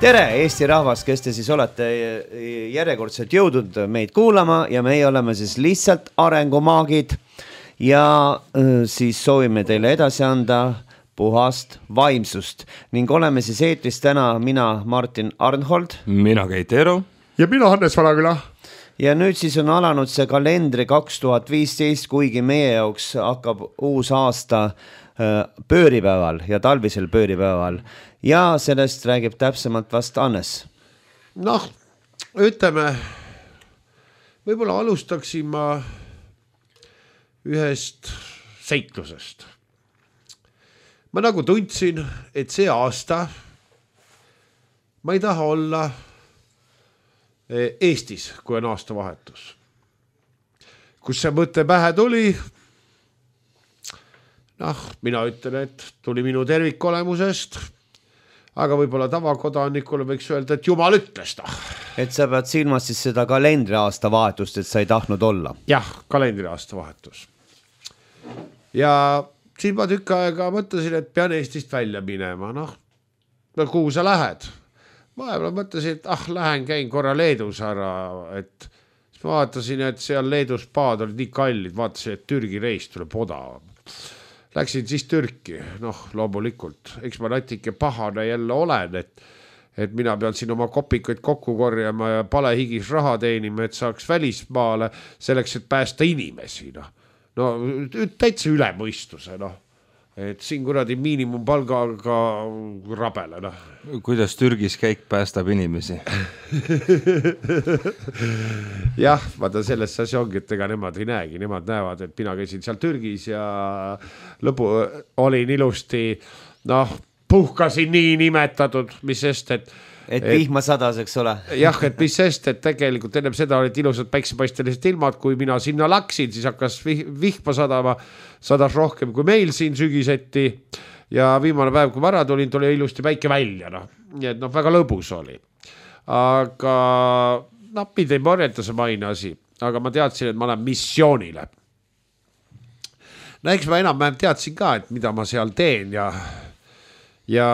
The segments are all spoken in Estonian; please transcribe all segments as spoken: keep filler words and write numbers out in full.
tere, Eesti rahvas, kes te siis olete järjekordselt jõudnud meid kuulama ja meie oleme siis lihtsalt arengumaagid ja siis soovime teile edasi anda puhast vaimsust ning oleme siis eetris täna mina, Martin Arnhold, mina Keit Eero ja mina Hannes Valaküla. Ja nüüd siis on alanud see kalendri kaks tuhat viisteist, kuigi meie jaoks hakkab uus aasta pööripäeval ja talvisel pööripäeval ja sellest räägib täpsemalt vast Hannes. Noh, ütleme, võib-olla alustaksin ma ühest seiklusest. Ma nagu tundsin, et see aasta ma ei taha olla Eestis, kui on aasta vahetus. Kus see mõte pähe tuli? Noh, mina ütlen, et tuli minu tervikolemusest, aga võib-olla tavakodanikule võiks öelda, et Jumal ütles ta. Et sa pead silmas siis seda kalendri aasta vahetust, et sa ei tahtnud olla. Jah, kalendri aasta vahetus. Ja siis ma tükk aega mõtlesin, et pean Eestist välja minema. Noh, kuhu sa lähed? Ma mõtlesin, et ah, lähen käin korra Leedus ära, et siis ma vaatasin, et seal Leedus paad olid nii kallid, vaatasin, et Türgi reis tuleb odavam. Läksin siis Türki, noh, loomulikult, eks ma natuke pahane jälle olen, et, et mina pean siin oma kopikuid kokku korjama ja palehigis raha teenima, et saaks välismaale selleks, et päästa inimesi, noh. No, täitsa üle mõistuse, noh. Et siin kuradi miinimumpalgaga rabele, noh. Kuidas Türgis käik päästab inimesi? Jah, vaata selles asi ongi, et ega nemad ei näegi. Nemad näevad, et mina käisin seal Türgis ja lõpu olin ilusti, noh, puhkasin nii nimetatud, mis sest, et Et vihma sadas, eks ole? Jah, et mis sest, et tegelikult ennem seda olid ilusad päiksepaistelised ilmad, kui mina sinna laksin, siis hakkas vihma sadama, sadas rohkem kui meil siin sügiseti ja viimane päev, kui vara tulin, tuli ilusti päike välja, noh. Nii et noh, väga lõbus oli. Aga noh, mind ei morjeta see maine asi, aga ma teadsin, et ma olen missioonile. No eks ma enam teadsin ka, et mida ma seal teen ja ja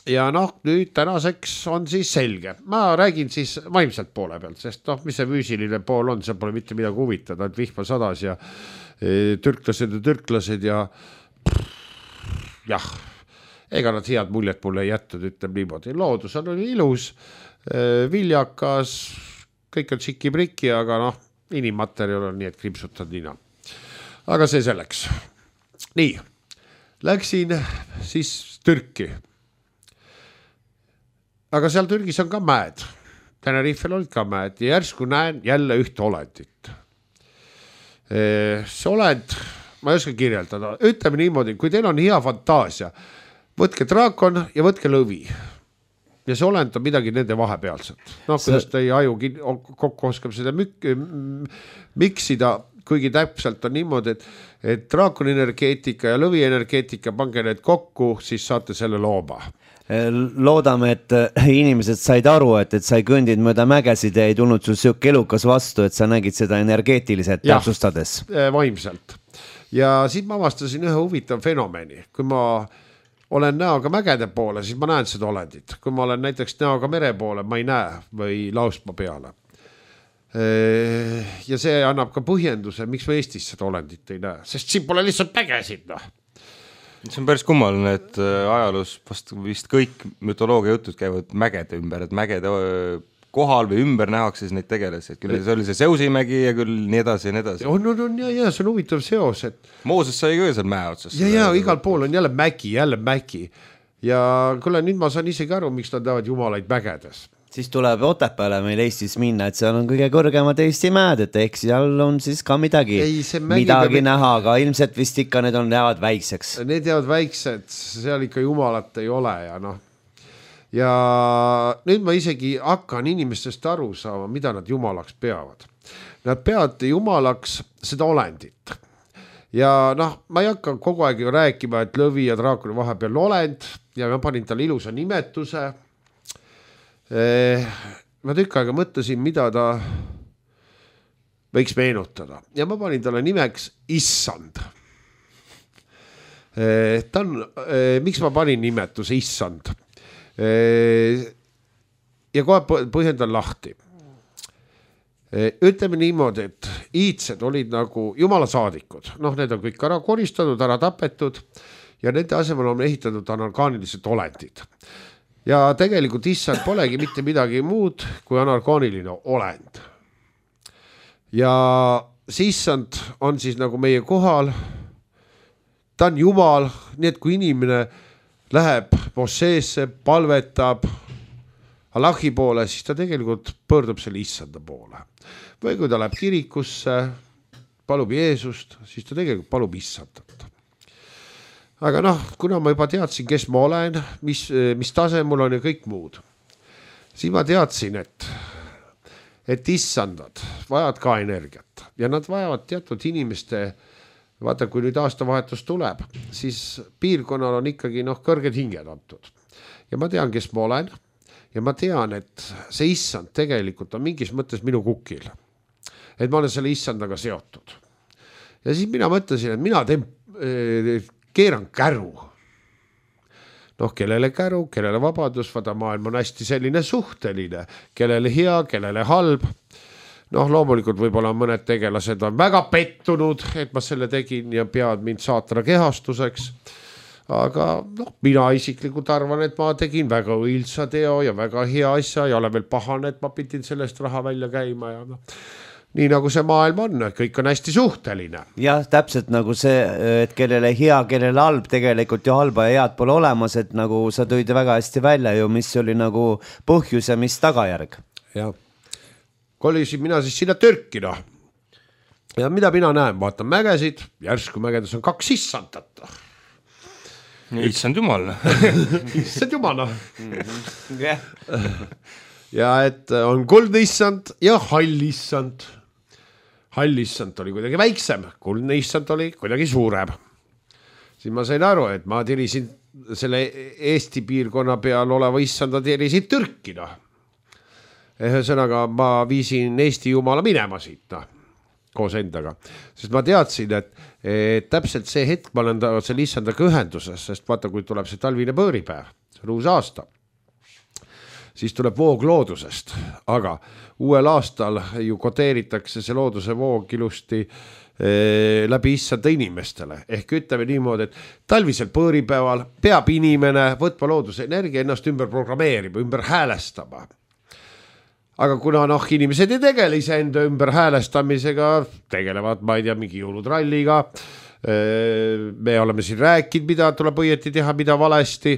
Ja noh, nüüd tänaseks on siis selge. Ma räägin siis vaimselt poole pealt, sest noh, mis see füüsiline pool on, see pole mitte midagi huvitada, et vihma sadas ja e, türklased ja türklased ja jah, ega nad head muljet mulle ei jättud, ütleb niimoodi. Loodus on ilus, e, viljakas, kõik on tšiki-priki, aga noh, inimmaterjal on nii, et krimpsutad nina. Aga see selleks. Nii, läksin siis Türki. Aga seal Türgis on ka mäed. Tenerifel olid ka mäed ja järsku näen jälle ühte olendit. See olend, ma ei oska kirjeldada, ütleme niimoodi, kui teil on hea fantaasia, võtke draakon ja võtke lõvi. Ja see olend on midagi nende vahepealset. Noh, kuidas teie aju kokku oskab seda mük- miksida, kuigi täpselt on niimoodi, et, et draakon energeetika ja lõvi energeetika, pange need kokku, siis saate selle looma. Loodame, et inimesed said aru, et, et sa ei kõndid mööda mägesid ja ei tulnud sul siuke elukas vastu, et sa nägid seda energeetiliselt täpsustades. Vaimselt. Ja siis ma avastasin ühe huvitav fenomeni. Kui ma olen näoga mägede poole, siis ma näen seda olendit. Kui ma olen näiteks näoga mere poole, ma ei näe või lausma peale. Ja see annab ka põhjenduse, miks ma Eestis seda olendit ei näe. Sest siin pole lihtsalt mägesid, noh. See on päris kummaline, et ajaloos vast vist kõik mütoloogia jutud käivad mägede ümber, et mägede kohal või ümber nähakse siis neid tegelasi, et küll see oli see Seusimägi ja küll nii edasi ja nii edasi. On, on, on, ja, ja, see on huvitav seos, et Mooses sai ka seal mäe otsas. Ja, ja, igal pool on jälle mägi, jälle mägi. Ja kuule, nüüd ma saan isegi aru, miks nad tahavad jumalaid mägedes. Siis tuleb Otepääle meil Eestis minna, et seal on kõige kõrgemad Eesti mäed, et eks seal on siis ka midagi, ei, midagi peab... näha, aga ilmselt vist ikka need on jäävad väikseks. Need jäävad väiksed, seal ikka jumalat ei ole ja noh. Ja nüüd ma isegi hakkan inimestest aru saama, mida nad jumalaks peavad. Nad peavad jumalaks seda olendit. Ja noh, ma ei hakka kogu aeg ju rääkima, et lõvi ja draakoni vahepeal olend ja ma panin talle ilusa nimetuse. Ma tükk aega mõtlesin, mida ta võiks meenutada. Ja ma panin talle nimeks Issand. Ta on, miks ma panin nimetuse Issand? ja kohe põhjendan lahti. Ütleme niimoodi, et iidsed olid nagu jumala saadikud. Noh, need on kõik ära koristatud, ära tapetud ja nende asemel on ehitatud anarkaanilised olendid. Ja tegelikult issand polegi mitte midagi muud kui anarkaaniline olend. Ja see issand on siis nagu meie kohal, ta on jumal, nii et kui inimene läheb mosseesse, palvetab Allahi poole, siis ta tegelikult pöördub selle issanda poole. Või kui ta läheb kirikusse, palub Jeesust, siis ta tegelikult palub issandat. Aga noh, kuna ma juba teadsin, kes ma olen, mis, mis tase mul on ja kõik muud, siis ma teadsin, et, et issandad vajavad ka energiat ja nad vajavad teatud inimeste, vaata kui nüüd aastavahetus tuleb, siis piirkonnal on ikkagi noh, kõrged hinged antud. Ja ma tean, kes ma olen ja ma tean, et see issand tegelikult on mingis mõttes minu kukil. Et ma olen selle issandaga seotud. Ja siis mina mõtlesin, et mina teen, keeran käru. Noh, kellele käru, kellele vabadus, vaata maailm on hästi selline suhteline, kellele hea, kellele halb. Noh, loomulikult võib-olla mõned tegelased on väga pettunud, et ma selle tegin ja peavad mind saatana kehastuseks. Aga noh, mina isiklikult arvan, et ma tegin väga õilsa teo ja väga hea asja ja olen veel pahane, et ma pidin sellest raha välja käima ja noh. Nii nagu see maailm on, kõik on hästi suhteline. Jah, täpselt nagu see, et kellele hea, kellele halb, tegelikult ju halba ja head pole olemas, et nagu sa tõid väga hästi välja ju, mis oli nagu põhjus ja mis tagajärg. Ja kolisin mina siis sinna Türki, noh. Ja mida mina näen, vaatan mägesid, järsku mägedes on kaks issandat. Issand jumal. Issand jumal, noh. Ja et on kuldne issand ja hall issand. Hall issand oli kuidagi väiksem, kuldne issand oli kuidagi suurem. Siis ma sain aru, et ma tirisin selle Eesti piirkonna peal oleva issanda tirisin Türki, noh. Ühesõnaga ma viisin Eesti jumala minema siit, noh, koos endaga. Sest ma teadsin, et, et täpselt see hetk ma olen selle issandaga ühenduses, sest vaata, kui tuleb see talvine pööripäev, see on uus aasta, siis tuleb voog loodusest, aga uuel aastal ju koteeritakse see looduse voog ilusti eh, läbi issanda inimestele. Ehk ütleme niimoodi, et talvisel pööripäeval peab inimene võtma looduse energia ennast ümber programmeerima, ümber häälestama. Aga kuna noh, inimesed ei tegele ise enda ümber häälestamisega, tegelevad, ma ei tea, mingi jõulutralliga, eh, me oleme siin rääkinud, mida tuleb õieti teha, mida valesti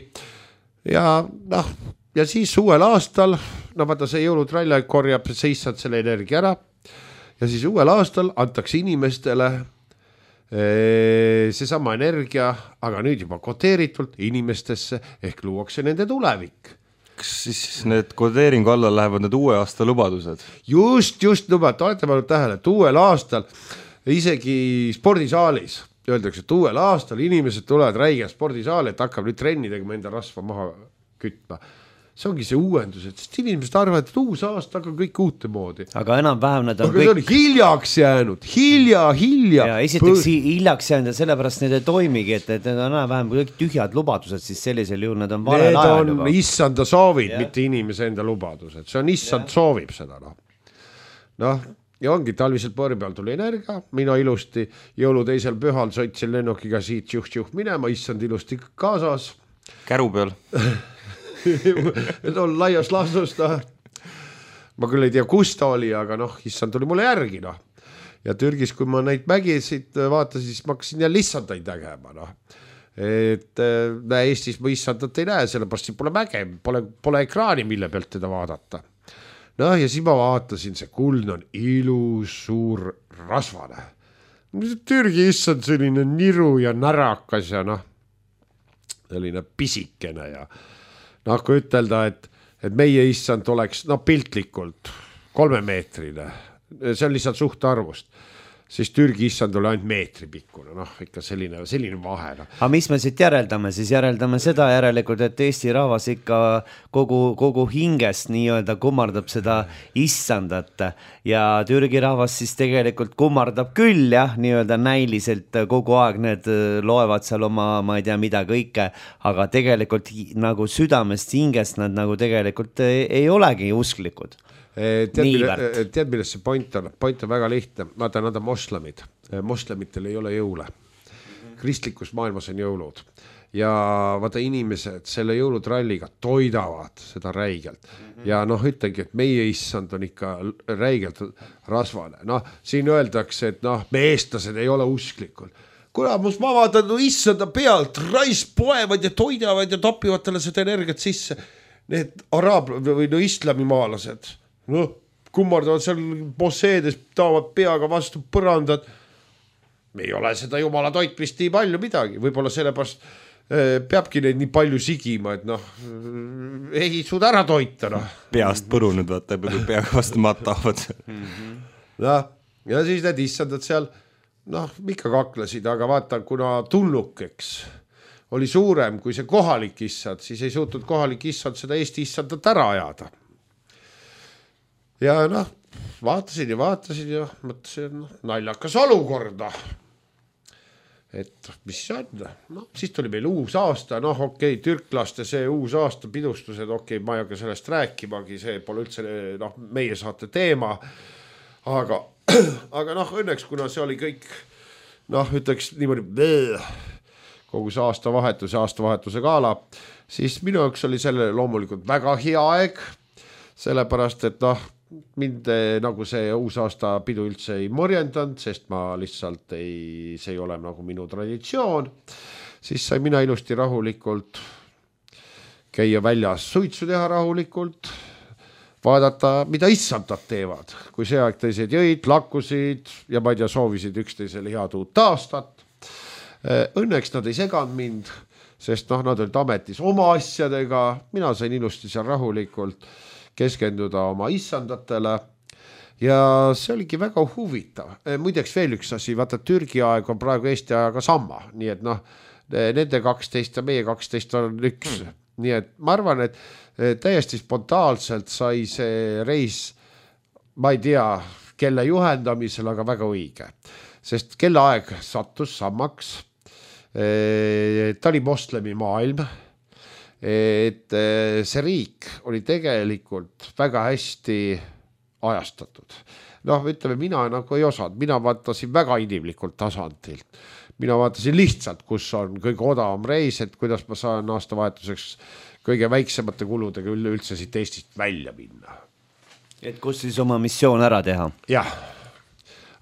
ja noh, ja siis uuel aastal, no vaata see jõulutralli korjab see issand selle energia ära ja siis uuel aastal antakse inimestele seesama energia, aga nüüd juba koteeritult inimestesse ehk luuakse nende tulevik. Kas siis need kodeeringu alla lähevad need uue aasta lubadused? Just, just lubad, olete pannud tähele, et uuel aastal isegi spordisaalis öeldakse, et uuel aastal inimesed tulevad räige spordisaali, et hakkab nüüd trenni tegema enda rasva maha kütma. See ongi see uuendus, et inimesed arvavad, et uus aasta hakkab kõik uute moodi. Aga enam-vähem nad on aga kõik... on hiljaks jäänud, hilja, hilja. Ja esiteks Põr... hiljaks jäänud ja sellepärast need ei toimigi, et need on enam-vähem kõik tühjad lubadused, siis sellisel juhul need on valel ajal juba. Need on issanda soovid, ja. Mitte inimese enda lubadused. See on issand ja. Soovib seda. Noh, noh ja ongi talvisel põõri peal tuli energia, mina ilusti jõulu teisel pühal sõitsin lennukiga siit juht-juht minema, issand ilusti kaasas. Käru peal. et on laias laastus, noh. Ma küll ei tea, kus ta oli, aga noh, issand tuli mulle järgi, noh. Ja Türgis, kui ma neid mägisid vaatasin, siis ma hakkasin jälle issandaid nägema, noh. Et näe, Eestis ma issandat ei näe, sellepärast siin pole mäge, pole, pole ekraani, mille pealt teda vaadata. Noh, ja siis ma vaatasin, see kuldne on ilus, suur, rasvane. Türgi issand selline niru ja närakas ja noh, selline pisikene ja noh, kui ütelda, et, et meie issand oleks no, piltlikult kolmemeetrine, see on lihtsalt suhtarvust, siis Türgi issand oli ainult meetri pikkune, noh ikka selline, selline vahe. No. aga mis me siit järeldame, siis järeldame seda järelikult, et Eesti rahvas ikka kogu, kogu hingest nii-öelda kummardab seda issandat ja Türgi rahvas siis tegelikult kummardab küll jah, nii-öelda näiliselt kogu aeg need loevad seal oma, ma ei tea mida kõike, aga tegelikult nagu südamest hingest nad nagu tegelikult ei, ei olegi usklikud. Tead, mille, tead, milles see point on? Point on väga lihtne. Vaata, nad on moslemid. Moslemitel ei ole jõule. Kristlikus maailmas on jõulud. Ja vaata, inimesed selle jõulutralliga toidavad seda räigelt. Ja noh, ütlengi, et meie issand on ikka räigelt rasvane. Noh, siin öeldakse, et noh, me eestlased ei ole usklikud. Kuramus, ma vaatan no, issanda pealt, rais poevad ja toidavad ja topivad talle seda energiat sisse. Need araab või no islamimaalased noh, kummardavad seal bosseedes, taavad peaga vastu põrandad. Me ei ole seda jumala toitmist nii palju midagi. Võib-olla sellepärast äh, peabki neid nii palju sigima, et noh, ei suuda ära toita. No. Peast põrunud, vaata, peaga vastu maad taavad. Ja, ja siis need issandad seal, noh, ikka kaklesid, aga vaata, kuna tulnukeks oli suurem kui see kohalik issand, siis ei suutnud kohalik issand seda Eesti issandat ära ajada. Ja noh, vaatasin ja vaatasin ja mõtlesin, noh, naljakas olukorda. Et mis see on? No, siis tuli meil uus aasta, noh okei, okay, türklaste see uus aasta pidustused, okei okay,, ma ei hakka sellest rääkimagi, see pole üldse noh, meie saate teema, aga, aga noh, õnneks, kuna see oli kõik, noh, ütleks niimoodi kogu see aastavahetuse, aastavahetuse gaala, siis minu jaoks oli selle loomulikult väga hea aeg, sellepärast, et noh, mind nagu see uus aasta pidu üldse ei morjendanud, sest ma lihtsalt ei, see ei ole nagu minu traditsioon, siis sai mina ilusti rahulikult käia väljas suitsu teha rahulikult, vaadata, mida issandad teevad, kui see aeg teised jõid, lakkusid ja ma ei tea, soovisid üksteisele head uut aastat. Õnneks nad ei seganud mind, sest noh, nad olid ametis oma asjadega, mina sain ilusti seal rahulikult keskenduda oma issandatele ja see oligi väga huvitav. Muideks veel üks asi, vaata Türgi aeg on praegu Eesti ajaga sama, nii et noh, nende kaksteist ja meie kaksteist on üks, mm. nii et ma arvan, et täiesti spontaanselt sai see reis, ma ei tea, kelle juhendamisel, aga väga õige, sest kelle aeg sattus samaks, ta oli moslemi maailm, et see riik oli tegelikult väga hästi ajastatud. Noh, ütleme, mina nagu ei osanud, mina vaatasin väga inimlikult tasandilt. Mina vaatasin lihtsalt, kus on kõige odavam reis, et kuidas ma saan aastavahetuseks kõige väiksemate kuludega üldse siit Eestist välja minna. Et kus siis oma missioon ära teha? Jah,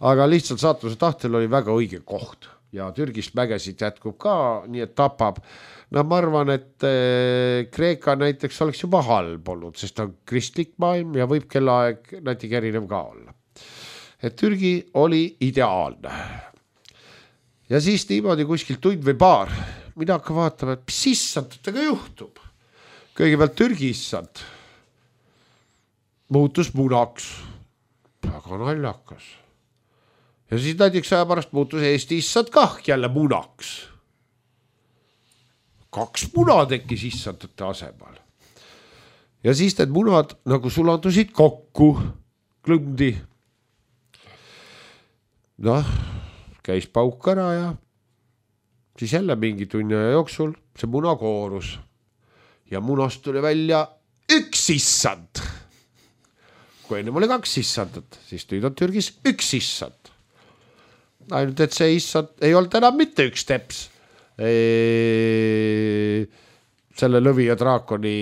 aga lihtsalt saatuse tahtel oli väga õige koht ja Türgist mägesid jätkub ka, nii et tapab. No ma arvan, et Kreeka näiteks oleks juba halb olnud, sest on kristlik maailm ja võib kellaaeg natuke erinev ka olla. Et Türgi oli ideaalne. Ja siis niimoodi kuskil tund või paar, mina hakka vaatama, et mis issandutega juhtub. Kõigepealt Türgi issand muutus munaks. Väga naljakas. Ja siis näiteks aja pärast muutus Eesti issand kah jälle munaks. Kaks muna tekkis issandate asemal. Ja siis need munad nagu sulandusid kokku, klõmdi. Noh, käis pauk ära ja siis jälle mingi tunni jooksul see muna koorus. Ja munast tuli välja üks issand. Kui ennem oli kaks issandat, siis nüüd on Türgis üks issand. Ainult, et see issand ei olnud enam mitte üks teps. Selle lõvi ja draakoni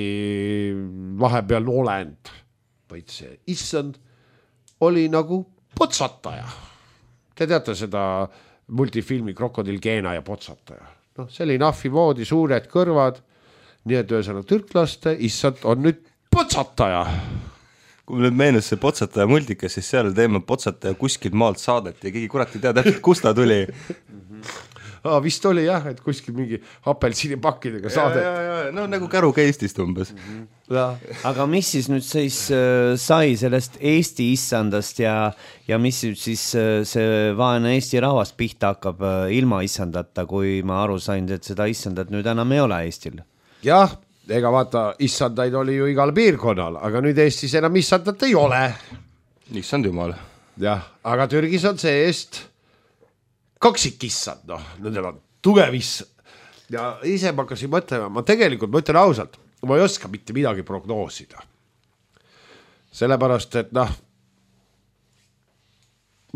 vahepeal olend, vaid see issand oli nagu potsataja. Te teate seda multifilmi Krokodil Keena ja potsataja. No, see oli nahvi moodi, suured kõrvad, nii et ühesõna türklaste issand on nüüd potsataja. Kui nüüd meenus see potsataja multikas, siis seal teema potsataja kuskil maalt saadeti ja keegi kurat ei tea täpselt, kust ta tuli. Aa, vist oli jah, et kuskil mingi apelsiinipakkidega saade. Ja, ja, ja. No nagu käru Eestist umbes. aga mis siis nüüd siis äh, sai sellest Eesti issandast ja, ja mis nüüd siis äh, see vaene Eesti rahvas pihta hakkab äh, ilma issandata, kui ma aru sain, et seda issandat nüüd enam ei ole Eestil? Jah, ega vaata, issandaid oli ju igal piirkonnal, aga nüüd Eestis enam issandat ei ole. Issand jumal. Jah, aga Türgis on see-eest kaksik issand, noh, nendel on tugev issand. Ja ise ma hakkasin mõtlema, ma tegelikult mõtlen ausalt, ma ei oska mitte midagi prognoosida. Sellepärast, et noh,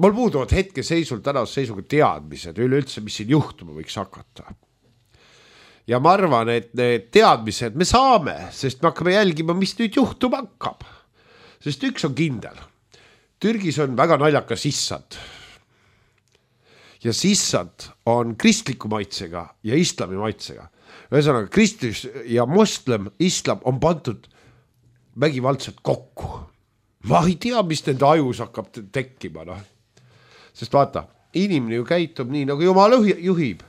mul puuduvad hetke seisul tänase seisuga teadmised üleüldse, mis siin juhtuma võiks hakata. Ja ma arvan, et need teadmised me saame, sest me hakkame jälgima, mis nüüd juhtuma hakkab. Sest üks on kindel. Türgis on väga naljakas issand. Ja sissand on kristliku maitsega ja islami maitsega. Ühesõnaga, kristlus ja moslem, islam on pandud vägivaldselt kokku. Ma ei tea, mis nende ajus hakkab tekkima. No. Sest vaata, inimene ju käitub nii, nagu Jumal juhib.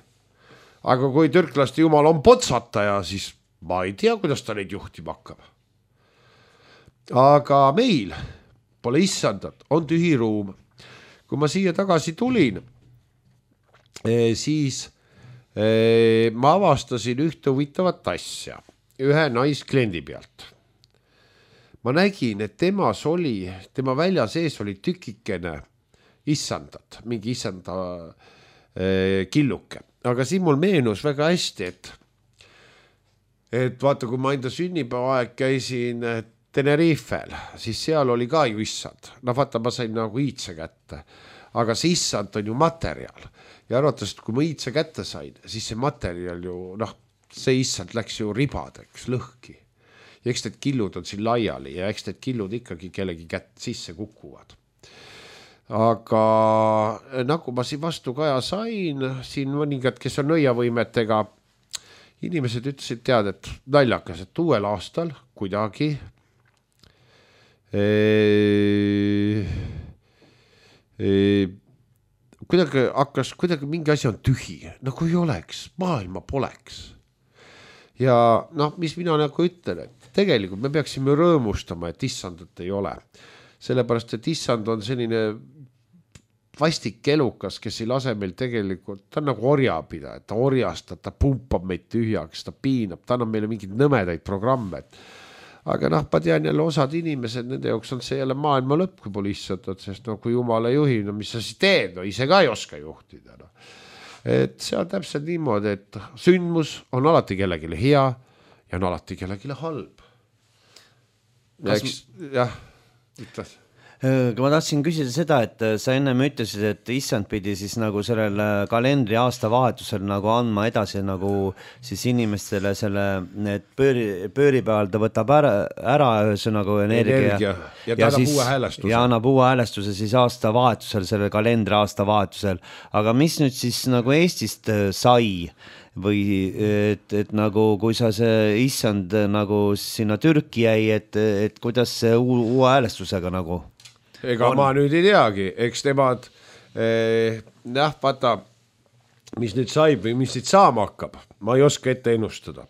Aga kui türklaste Jumal on potsataja, siis ma ei tea, kuidas ta neid juhtima hakkab. Aga meil pole issandat, on tühi ruum. Kui ma siia tagasi tulin, siis ma avastasin ühte huvitavat asja ühe naiskliendi pealt. Ma nägin, et temas oli, tema välja sees oli tükikene issandat, mingi issanda killuke. Aga siin mul meenus väga hästi, et, et vaata, kui ma enda sünnipäevaaeg käisin Tenerifel, siis seal oli ka ju issand. No vaata, ma sain nagu iitse kätte, aga see issand on ju materjal. Ja arvates, kui ma iitse kätte sain, siis see materjal ju, noh, see issand läks ju ribadeks, lõhki. Ja eks need killud on siin laiali ja eks need killud ikkagi kellegi kätt sisse kukuvad. Aga nagu ma siin vastu kaja sain, siin mõningad, kes on nõiavõimetega, inimesed ütlesid tead, et naljakas, et uuel aastal kuidagi ee, ee, kuidagi hakkas, kuidagi mingi asi on tühi, nagu ei oleks, maailma poleks. Ja noh, mis mina nagu ütlen, et tegelikult me peaksime rõõmustama, et issandat ei ole. Sellepärast, et issand on selline vastik elukas, kes ei lase meil tegelikult, ta on nagu orjapida, et ta orjastab, ta pumpab meid tühjaks, ta piinab, ta annab meile mingeid nõmedaid programme. Aga noh, ma tean jälle osad inimesed, nende jaoks on see jälle maailma lõpp, kui pole issandat, sest no kui Jumal ei juhi, no mis sa siis teed, no ise ka ei oska juhtida. No. Et see on täpselt niimoodi, et sündmus on alati kellegile hea ja on alati kellegile halb. Ja Kas... eks, jah, ütles. Ma tahtsin küsida seda, et sa ennem ütlesid, et issand pidi siis nagu sellel kalendri aasta vahetusel nagu andma edasi nagu siis inimestele selle, et pööri, pööripäeval ta võtab ära, ära ühesõnaga energia, energia. Ja ta annab uue häälestuse. Ja annab uue häälestuse siis aasta vahetusel, selle kalendri aasta vahetusel. Aga mis nüüd siis nagu Eestist sai? Või et, et nagu kui sa see issand nagu sinna Türki jäi, et, et kuidas see uue, uue häälestusega nagu? Ega on. Ma nüüd ei teagi, eks nemad eh, jah, vaata, mis nüüd saib või mis nüüd saama hakkab, ma ei oska ette ennustada.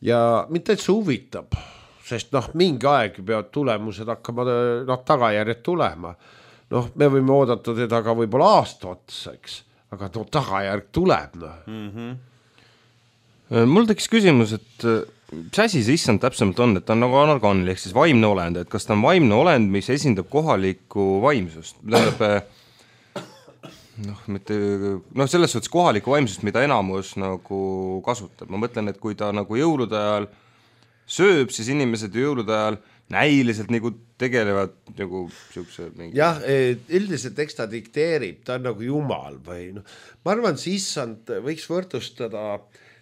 Ja mitte et see huvitab, sest noh, mingi aeg peavad tulemused hakkama noh, tagajärjed tulema. Noh, me võime oodata teda ka võib-olla aasta otsaks, aga no, tagajärg tuleb. No. Mm-hmm. Mul tekkis küsimus, et mis asi see issand täpsemalt on, et ta on nagu anarganil, ehk siis vaimne olend, et kas ta on vaimne olend, mis esindab kohalikku vaimsust, tähendab, noh, mitte, noh, selles suhtes kohalikku vaimsust, mida enamus nagu kasutab. Ma mõtlen, et kui ta nagu jõulude ajal sööb, siis inimesed jõulude ajal näiliselt nagu tegelevad nagu siukse mingi... Jah, üldiselt eks ta dikteerib, ta on nagu Jumal või noh, ma arvan, see issand võiks võrdustada,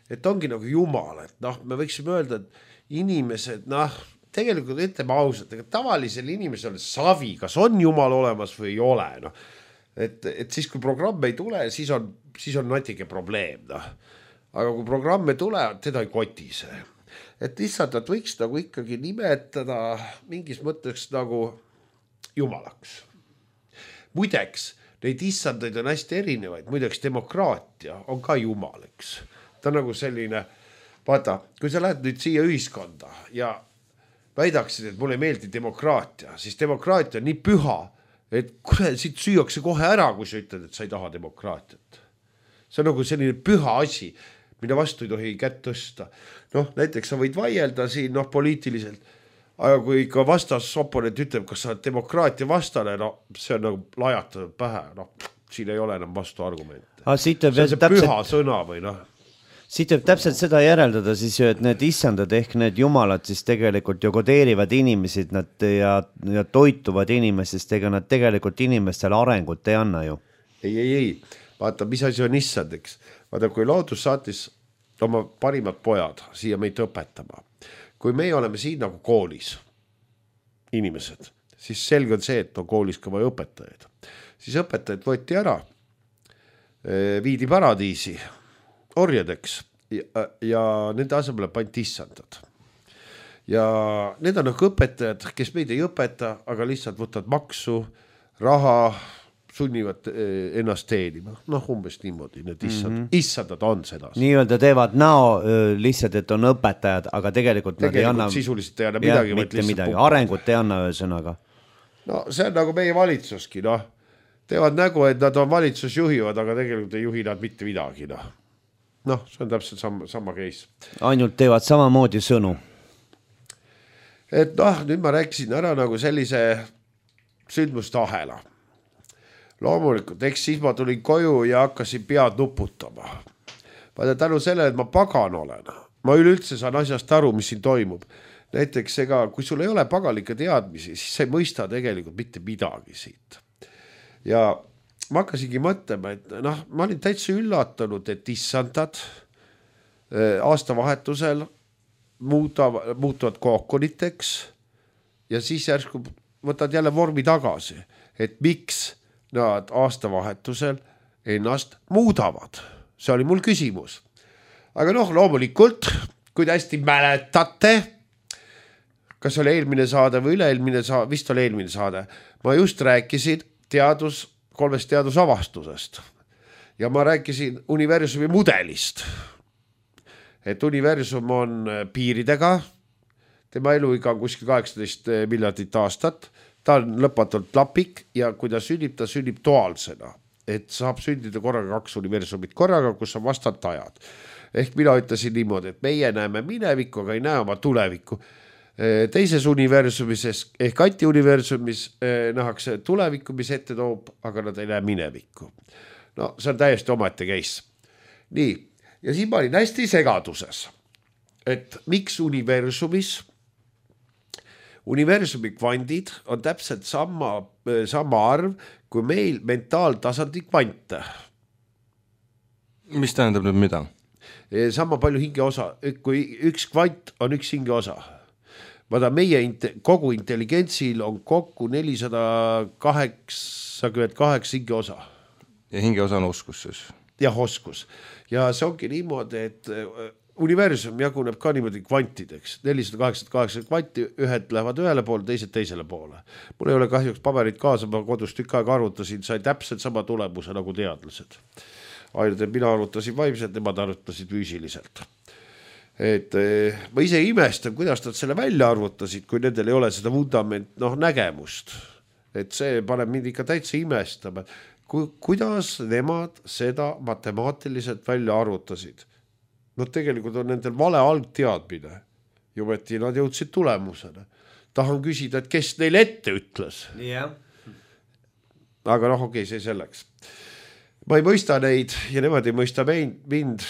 et ongi nagu Jumal, et noh, me võiksime öelda, et inimesed, noh, tegelikult ütleme ausalt, ega tavalisel inimesel savi, kas on Jumal olemas või ei ole, noh. Et, et siis, kui programm ei tule, siis on, siis on natuke probleem, noh. Aga kui programm ei tule, teda ei koti see. Et issandat võiks nagu ikkagi nimetada mingis mõtteks nagu Jumalaks. Muideks, neid issandaid on hästi erinevaid, muideks demokraatia on ka Jumal, eks. Ta on nagu selline, vaata, kui sa lähed nüüd siia ühiskonda ja väidaksid, et mulle ei meeldi demokraatia, siis demokraatia on nii püha, et kuule, siit süüakse kohe ära, kui sa ütled, et sa ei taha demokraatiat. See on nagu selline püha asi, mida vastu ei tohi kätt tõsta. Noh, näiteks sa võid vaielda siin noh, poliitiliselt, aga kui ikka vastas oponent ütleb, kas sa oled demokraatia vastane, no see on nagu lajatatud pähe, noh, siin ei ole enam vastu argumente. Ah, see on see täpselt... püha sõna või noh. Siit võib täpselt seda järeldada siis ju, et need issandad ehk need jumalad siis tegelikult ju kodeerivad inimesid nad ja, ja toituvad inimestest, ega nad tegelikult inimestele arengut ei anna ju. Ei, ei, ei. Vaata, mis asi on issand, eks. Vaata, kui loodus saatis oma parimad pojad siia meid õpetama. Kui meie oleme siin nagu koolis inimesed, siis selge on see, et on koolis ka vaja õpetajaid. Siis õpetajad võeti ära, viidi paradiisi, orjadeks ja, ja nende asemele pandi issandad. Ja need on nagu õpetajad, kes meid ei õpeta, aga lihtsalt võtavad maksu, raha, sunnivad ennast teenima. Noh, umbes niimoodi, need issand, mm -hmm. issandad on seda. Nii-öelda teevad näo lihtsalt, et on õpetajad, aga tegelikult, tegelikult nad ei anna... sisuliselt ei anna midagi. Ja, mitte midagi, arengut ei anna ühesõnaga. No see on nagu meie valitsuski, noh. Teevad nägu, et nad on valitsus juhivad, aga tegelikult ei juhi nad mitte midagi, noh. Noh, see on täpselt sama, sama case. Ainult teevad samamoodi sõnu. Et noh, nüüd ma rääkisin ära nagu sellise sündmuste ahela. Loomulikult, eks siis ma tulin koju ja hakkasin pead nuputama. Vaata tänu selle, et ma pagan olen. Ma üleüldse saan asjast aru, mis siin toimub. Näiteks ega, kui sul ei ole pagalikke teadmisi, siis sa ei mõista tegelikult mitte midagi siit. Ja ma hakkasingi mõtlema, et noh, ma olin täitsa üllatunud, et issandad aastavahetusel muutuvad, muutuvad kookoniteks ja siis järsku võtad jälle vormi tagasi, et miks nad aastavahetusel ennast muudavad. See oli mul küsimus. Aga noh, loomulikult, kui te hästi mäletate, kas oli eelmine saade või üle-eelmine saade, vist oli eelmine saade, ma just rääkisin teadus, kolmest teadusavastusest ja ma rääkisin universumi mudelist. Et universum on piiridega, tema eluiga on kuskil kaheksateist miljardit aastat, ta on lõpmatult lapik ja kui ta sünnib, ta sünnib duaalsena, et saab sündida korraga kaks universumit korraga, kus on vastantajad. Ehk mina ütlesin niimoodi, et meie näeme minevikku, aga ei näe oma tulevikku. Teises universumis ehk antiuniversumis nähakse tulevikku, mis ette toob, aga nad ei näe minevikku. No see on täiesti omaette case. Nii, ja siin ma olin hästi segaduses, et miks universumis universumi kvandid on täpselt sama, sama arv kui meil mentaaltasandi kvante. Mis tähendab nüüd mida? Sama palju hingeosa, kui üks kvant on üks hingeosa. Vaata, meie kogu intelligentsil on kokku nelisada kaheksakümmend kaheksa hingeosa. Ja hingeosa on oskus siis? Jah, oskus. Ja see ongi niimoodi, et universum jaguneb ka niimoodi kvantideks. nelisada kaheksakümmend kaheksa kvanti, ühed lähevad ühele poole, teised teisele poole. Mul ei ole kahjuks paberit kaasa, ma kodus tükk aega arvutasin, sai täpselt sama tulemuse nagu teadlased. Ainult, et mina arvutasin vaimselt, nemad arvutasid füüsiliselt. Et ma ise imestan, kuidas nad selle välja arvutasid, kui nendel ei ole seda vundament, noh, nägemust. Et see paneb mind ikka täitsa imestama. Ku, kuidas nemad seda matemaatiliselt välja arvutasid? No tegelikult on nendel vale algteadmine. Jumeti nad jõudsid tulemusena. Tahan küsida, et kes neil ette ütles. Yeah. Aga noh, okei, see selleks. Ma ei mõista neid ja nemad ei mõista mind.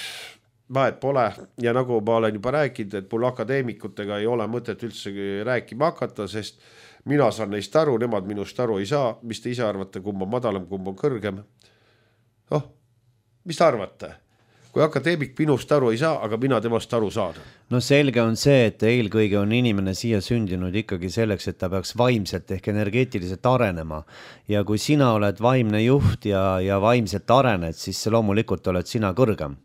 Vahet pole ja nagu ma olen juba rääkinud, et mul akadeemikutega ei ole mõtet üldse rääkima hakata, sest mina saan neist aru, nemad minust aru ei saa. Mis te ise arvate, kumb on madalam, kumb on kõrgem? Oh, mis te arvate? Kui akadeemik minust aru ei saa, aga mina temast aru saan. No selge on see, et eelkõige on inimene siia sündinud ikkagi selleks, et ta peaks vaimselt ehk energeetiliselt arenema. Ja kui sina oled vaimne juht ja, ja vaimselt arened, siis loomulikult oled sina kõrgem.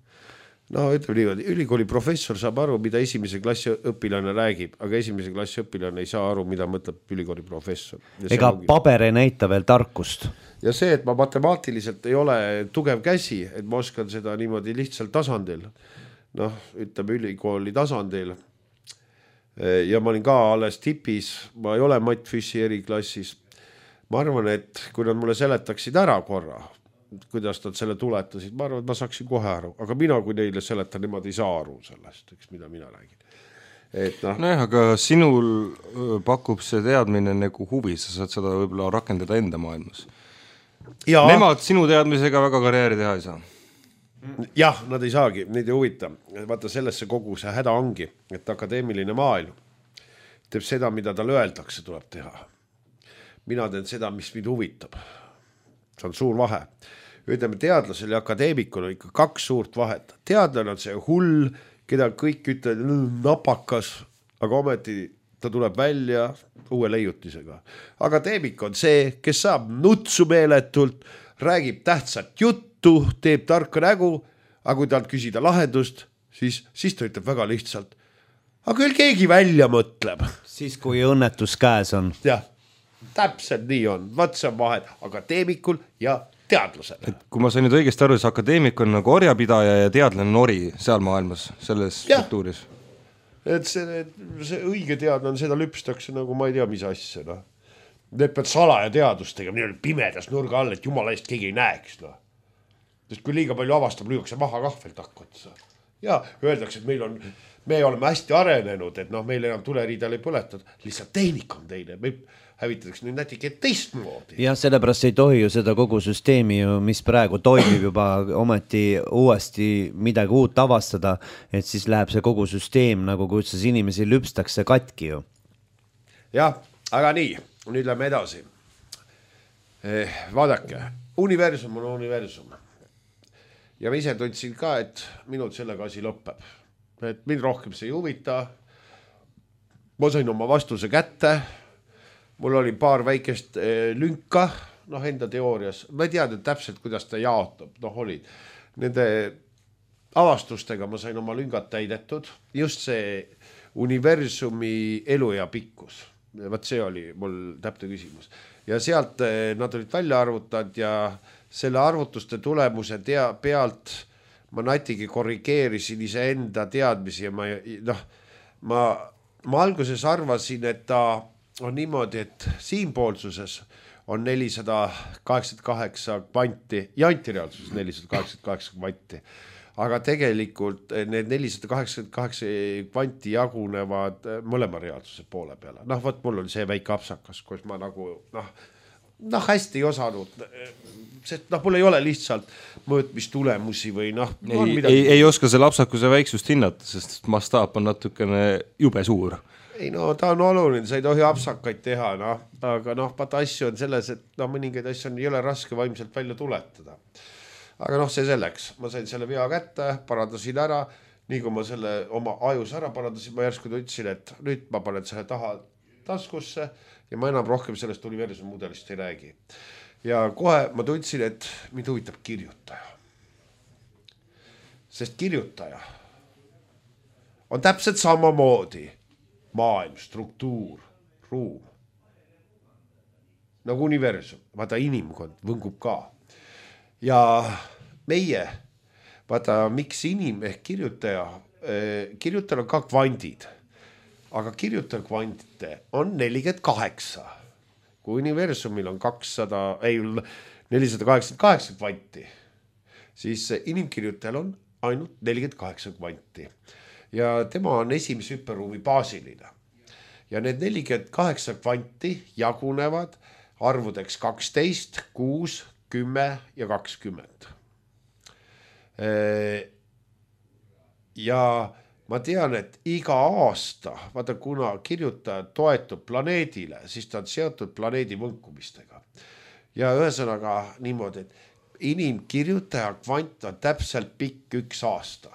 No ütleme niimoodi, ülikooli professor saab aru, mida esimese klassi õpilane räägib, aga esimese klassi õpilane ei saa aru, mida mõtleb ülikooli professor. Ega ongi... paber ei näita veel tarkust. Ja see, et ma matemaatiliselt ei ole tugev käsi, et ma oskan seda niimoodi lihtsalt tasandil, noh, ütleme ülikooli tasandil, ja ma olin ka alles tipis, ma ei ole Matt Fissi eriklassis. Ma arvan, et kui nad mulle seletaksid ära korra, kuidas nad selle tuletasid, ma arvan, et ma saaksin kohe aru, aga mina, kui neile seletan, nemad ei saa aru sellest, eks, mida mina räägin. Et noh. Nojah, aga sinul pakub see teadmine nagu huvi, sa saad seda võib-olla rakendada enda maailmas. Ja. Nemad sinu teadmisega väga karjääri teha ei saa. Jah, nad ei saagi, neid ei huvita. Vaata, sellesse kogu see häda ongi, et akadeemiline maailm teeb seda, mida tal öeldakse, tuleb teha. Mina teen seda, mis mind huvitab. See on suur vahe. Ütleme, teadlasel ja akadeemikul on ikka kaks suurt vahet. Teadlane on see hull, keda kõik ütlevad napakas, aga ometi ta tuleb välja uue leiutisega. Akadeemik on see, kes saab nutsu meeletult, räägib tähtsat juttu, teeb tarka nägu, aga kui talt küsida lahendust, siis, siis ta ütleb väga lihtsalt. Aga küll keegi välja mõtleb. Siis kui õnnetus käes on. Jah, täpselt nii on. Vaat see on vahet akadeemikul ja teadlasele. Et kui ma sain nüüd õigesti aru, siis akadeemik on nagu orjapidaja ja teadlane on ori seal maailmas, selles ja. Struktuuris. Et see, see õige teadlane on, seda lüpstakse nagu ma ei tea, mis asja. No. Need pead salaja teadustega, nii on pimedas nurga all, et jumala eest keegi ei näeks. No. Sest kui liiga palju avastab, lüüakse maha kahvelt hakkotsa. Ja öeldakse, et meil on, me oleme hästi arenenud, et noh, meil enam tuleriidal ei põletud. Lihtsalt tehnik on teine. Me hävitatakse nüüd nätike teistmoodi. Ja sellepärast ei tohi ju seda kogu süsteemi, mis praegu toimib juba ometi uuesti midagi uut avastada, et siis läheb see kogu süsteem nagu kuidas inimesi lüpstakse katki ju. Jah, aga nii, nüüd lähme edasi. Eh, vaadake, universum on universum. Ja ma ise tundsin ka, et minul sellega asi lõpeb. Et mind rohkem see ei huvita. Ma sain oma vastuse kätte. Mul oli paar väikest lünka, noh enda teoorias. Ma ei teadnud täpselt, kuidas ta jaotab. Noh olid. Nende avastustega ma sain oma lüngad täidetud. Just see universumi elu ja pikkus. Vaat see oli mul täpne küsimus. Ja sealt nad olid välja arvutanud ja selle arvutuste tulemuse tea, pealt ma natigi korrigeerisin ise enda teadmisi ja ma, noh, ma, ma alguses arvasin, et ta on niimoodi, et siinpoolsuses on nelisada kaheksakümmend kaheksa kvanti ja antireaalsuses nelisada kaheksakümmend kaheksa kvanti. Aga tegelikult need nelisada kaheksakümmend kaheksa kvanti jagunevad mõlema reaalsuse poole peale. Noh, võt mul oli see väike apsakas, kus ma nagu, noh, noh hästi ei osanud, sest noh, mul ei ole lihtsalt mõõtmistulemusi või noh. Ei, ei, ei oska selle apsakuse väiksust hinnata, sest mastaap on natukene jube suur. Ei no ta on oluline, sa ei tohi apsakaid teha, no. Aga noh, vaata asju on selles, et no, mõningaid asju on, ei ole raske vaimselt välja tuletada. Aga noh, see selleks, ma sain selle vea kätte, parandasin ära, nii kui ma selle oma ajus ära parandasin, ma järsku ütlesin, et nüüd ma panen selle taha taskusse ja ma enam rohkem sellest universumi mudelist ei räägi. Ja kohe ma tundsin, et mind huvitab kirjutaja. Sest kirjutaja on täpselt sama moodi maailm, struktuur, ruum. Nagu universum, vaata inimkond võngub ka. Ja meie, vaata miks inim ehk kirjutaja, kirjutajal on ka kvandid, aga kirjutaja kvantite on nelikümmend kaheksa. Kui universumil on kakssada, ei, nelisada kaheksakümmend kaheksa kvanti, siis inimkirjutajal on ainult nelikümmend kaheksa kvanti. Ja tema on esimese hüperruumi baasiline. Ja need nelikümmend kaheksa kvanti jagunevad arvudeks kaksteist, kuus, kümme ja kakskümmend. Ja ma tean, et iga aasta, vaata kuna kirjutaja toetub planeedile, siis ta on seotud planeedi võnkumistega. Ja ühesõnaga niimoodi, et inimkirjutaja kvant on täpselt pikk üks aasta.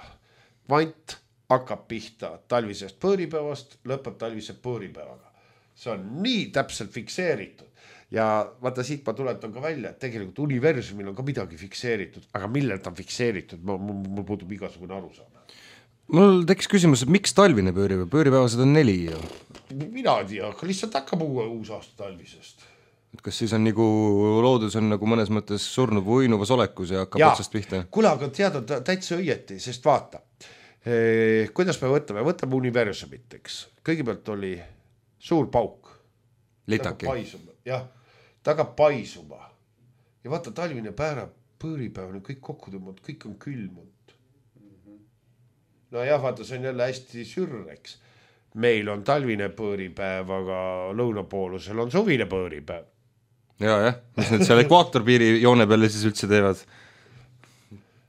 Kvant hakkab pihta talvisest põõripäevast, lõpeb talvise põõripäevaga. See on nii täpselt fikseeritud. Ja vaata siit ma tuletan ka välja, et tegelikult universumil on ka midagi fikseeritud, aga millel ta on fikseeritud, mul, mul puudub igasugune arusaam. Mul tekkis küsimus, et miks talvine põõripäev? Põõripäevased on neli ju. Mina ei tea, aga lihtsalt hakkab uue uus aasta talvisest. Kas siis on nagu loodus on nagu mõnes mõttes surnud või uinuvas olekus ja hakkab ja, otsast pihta? Kuule, aga tead, on täitsa õieti, sest vaata, Eh, kuidas me võtame, võtame universumit, eks. Kõigepealt oli suur pauk. Litaki. Jah, ta hakkab paisuma. Ja vaata, talvine päeva, põõripäevane, kõik kokku tõmmanud, kõik on külmunud. No jah, vaata, see on jälle hästi sürreks. Meil on talvine põõripäev, aga lõunapoolusel on suvine põõripäev. Ja, jah, mis nüüd seal ekvaatorpiiri joone peale siis üldse teevad?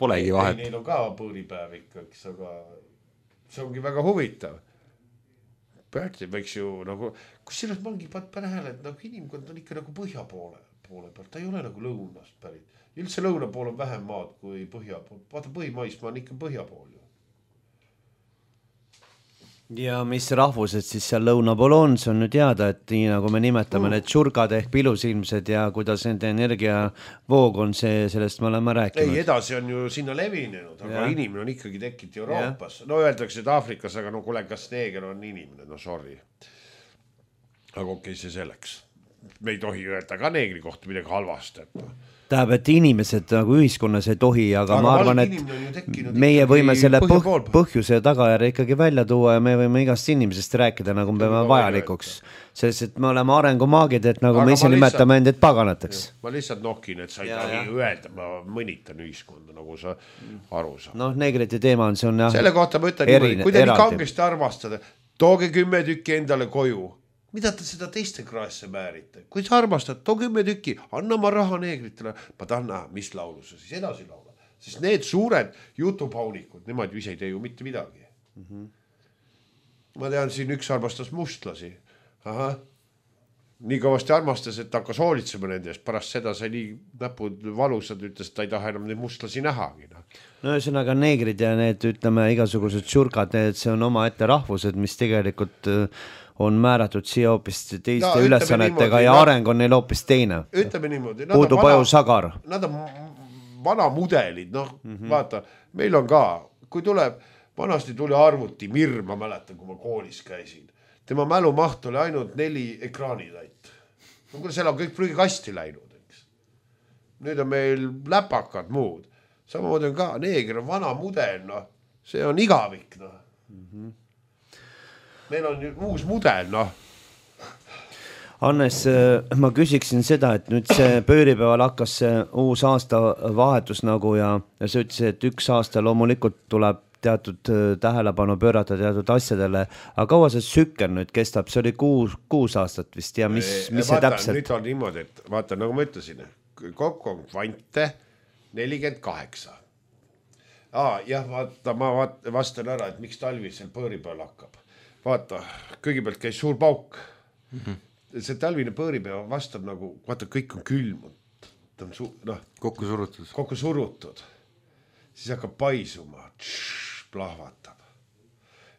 Polegi vahet. Neil on ka põõripäev ikkaks, aga see ongi väga huvitav. Päärti võiks ju nagu, kus sellest mangi panehele, et nagu inimkond on ikka nagu põhja poole, poole peal, ta ei ole nagu lõunast pärit. Üldse lõuna pool on vähem maad kui põhja pool. Vaata põhimaismaa on ikka põhja pool ju. Ja mis rahvused siis seal lõuna pool on, see on nüüd teada, et nii nagu me nimetame mm. need tšurkad ehk pilusilmsed ja kuidas nende energiavoog on see, sellest me oleme rääkinud. Ei, edasi on ju sinna levinenud, aga ja. Inimene on ikkagi tekkinud Euroopas. Ja. No öeldakse, et Aafrikas, aga no kuule, kas neeger on inimene, no sorry. Aga okei, see selleks. Me ei tohi öelda ka neegri kohta midagi halvast, et no. Tähendab, et inimesed nagu ühiskonnas ei tohi, aga, aga ma arvan, et meie võime selle põh põhjuse ja tagajärje ikkagi välja tuua ja me võime igast inimesest rääkida, nagu me peame vajalikuks. Sest, et me oleme arengumaagid, et nagu aga me ise nimetame end, et paganateks. Ma lihtsalt nohkin, et sa ei tahi öelda, ma mõnitan ühiskonda, nagu sa aru saad. Noh, neegrite teema on, see on jah. Selle kohta ma ütlen niimoodi, kui te nii kangesti armastada, tooge kümme tükki endale koju. Mida te seda teiste kraesse määrite? Kui sa armastad, too kümme tükki, anna ma raha neegritele. Ma tahan näha, mis laulu sa siis edasi laula. Sest need suured jutupaunikud, nemad ju ise ei tee ju mitte midagi. Mm-hmm. Ma tean, siin üks armastas mustlasi. Aha. Nii kõvasti armastas, et ta hakkas hoolitsema nende eest. Pärast seda sai nii näpud valusad, ütles, et ta ei taha enam neid mustlasi nähagi. No ühesõnaga neegrid ja need, ütleme, igasugused tšurkad, need see on oma ette rahvused, mis tegelikult on määratud siia hoopis teiste no, ülesannetega niimoodi, ja areng on neil hoopis teine. Ütleme niimoodi. Puudub aju sagar. Nad on vana mudelid, noh, mm-hmm. vaata, meil on ka, kui tuleb, vanasti tuli arvuti Mir, ma mäletan, kui ma koolis käisin. Tema mälumaht oli ainult neli ekraanilait. No kui seal on kõik prügikasti läinud, eks. Nüüd on meil läpakad muud. Samamoodi on ka, neeger on vana mudel, noh, see on igavik, noh. Mm-hmm. Meil on uus mudel, noh. Hannes, ma küsiksin seda, et nüüd see pööripäeval hakkas see uus aasta vahetus nagu ja, ja see ütles, et üks aasta loomulikult tuleb teatud tähelepanu pöörata teatud asjadele, aga kaua see sükker nüüd kestab, see oli kuus, kuus aastat vist ja mis, mis see vaata, täpselt? Nüüd on niimoodi, et vaata, nagu ma ütlesin, kokku on kvante nelikümmend kaheksa. Aa, jah, vaata, ma vastan ära, et miks talvisel pööripäeval hakkab. Vaata, kõigepealt käis suur pauk. Mm-hmm. See talvine põõripäev vastab nagu, vaata, kõik on külmunud. Ta on su, noh, kokku surutud. Kokku surutud. Siis hakkab paisuma, tšš, plahvatab.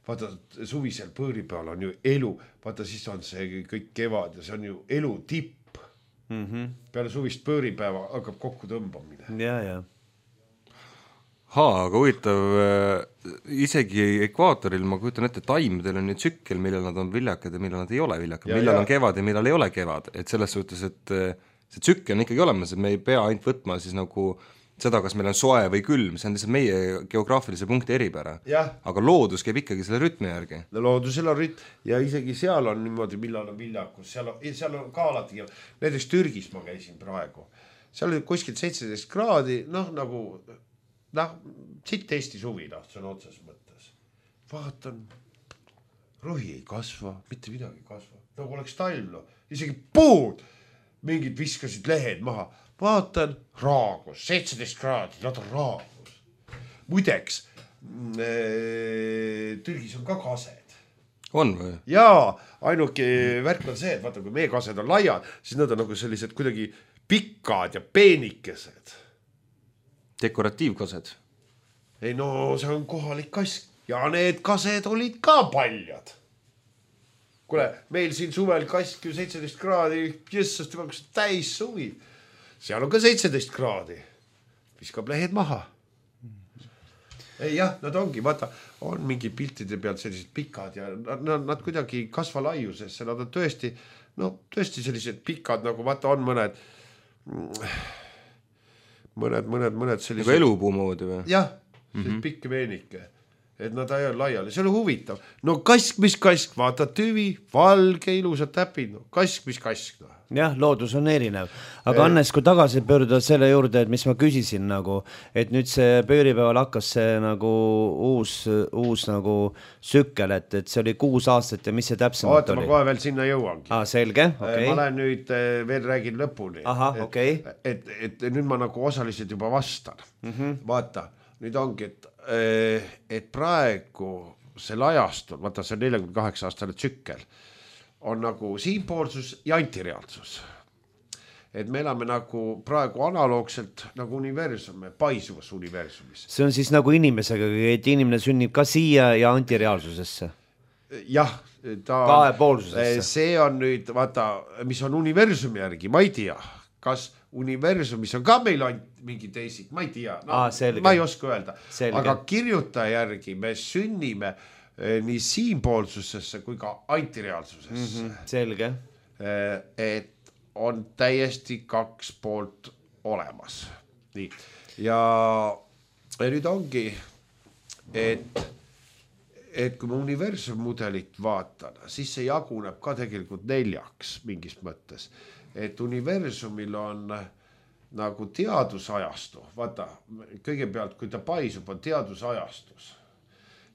Vaata, suvisel põõripäeval on ju elu. Vaata, siis on see kõik kevad ja see on ju elu tipp. Mm-hmm. Peale suvist põõripäeva hakkab kokku tõmbamine. Ja, ja. Haa, aga huvitav, isegi ekvaatoril ma kujutan ette, taimedel on nüüd tsükkel, millal nad on viljakad ja millal nad ei ole viljakad, millal ja. On kevad ja millal ei ole kevad, et selles suhtes, et see tsükkel on ikkagi olemas, et me ei pea ainult võtma siis nagu seda, kas meil on soe või külm, see on lihtsalt meie geograafilise punkti eripära, aga loodus käib ikkagi selle rütmi järgi. No loodusel on rütm ja isegi seal on niimoodi, millal on viljakus, seal on, seal on ka alati, näiteks Türgis ma käisin praegu, seal oli kuskilt seitseteist kraadi, noh nagu noh, siit Eesti suvi, noh, see on otses mõttes. Vaatan, rohi ei kasva, mitte midagi ei kasva. Nagu oleks talv, no. Isegi puud, mingid viskasid lehed maha. Vaatan, raagus, seitseteist kraadi, nad on raagus. Muideks, äh, Türgis on ka kased. On või? Jaa, ainuke värk on see, et vaata, kui meie kased on laiad, siis nad on nagu sellised kuidagi pikad ja peenikesed. Dekoratiivkased. Ei no, see on kohalik kask. Ja need kased olid ka paljad. Kuule, meil siin suvel kask ju seitseteist kraadi, jessast juba täis suvi. Seal on ka seitseteist kraadi. Viskab lehed maha. Ei jah, nad ongi, vaata, on mingi piltide pealt sellised pikad ja nad, nad kuidagi kasva laiusesse. Nad on tõesti, no tõesti sellised pikad, nagu vaata on mõned... mõned, mõned, mõned sellised... Nagu elupuu moodi või? Jah, mm-hmm. pikk veenike. et nad ajavad laiali, see oli huvitav. No kask, mis kask, vaata tüvi, valge, ilusad täpid, no kask, mis kask. No. jah, loodus on erinev. Aga Hannes, kui tagasi pöörduda selle juurde, et mis ma küsisin nagu, et nüüd see pööripäeval hakkas see nagu uus, uus nagu sükkel, et, et see oli kuus aastat ja mis see täpsemalt Oota, oli? Ma kohe veel sinna jõuangi. Ah, selge, okei. Okay. Ma lähen nüüd veel räägin lõpuni. Aha, okei. Okay. Et, et, et nüüd ma nagu osaliselt juba vastan. Mm-hmm. Vaata, nüüd ongi, et, et praegu see lajastul, vaata see nelikümmend kaheksa aastane tsükkel, on nagu siinpoolsus ja antireaalsus. Et me elame nagu praegu analoogselt nagu universum, paisuvas universumis. See on siis nagu inimesega, et inimene sünnib ka siia ja antireaalsusesse. Jah, ta kahepoolsusesse. See on nüüd, vaata, mis on universumi järgi, ma ei tea, kas universumis on ka meil ainult mingi teisik, ma ei tea, no, Aa, ma ei oska öelda. Selge. Aga kirjutaja järgi me sünnime nii siinpoolsusesse kui ka antireaalsusesse. Mm-hmm, selge. Et on täiesti kaks poolt olemas. Nii. Ja, ja nüüd ongi, et, et kui ma universum mudelit vaatan, siis see jaguneb ka tegelikult neljaks mingis mõttes. Et universumil on nagu teadusajastu. Vaata, kõigepealt, kui ta paisub, on teadusajastus.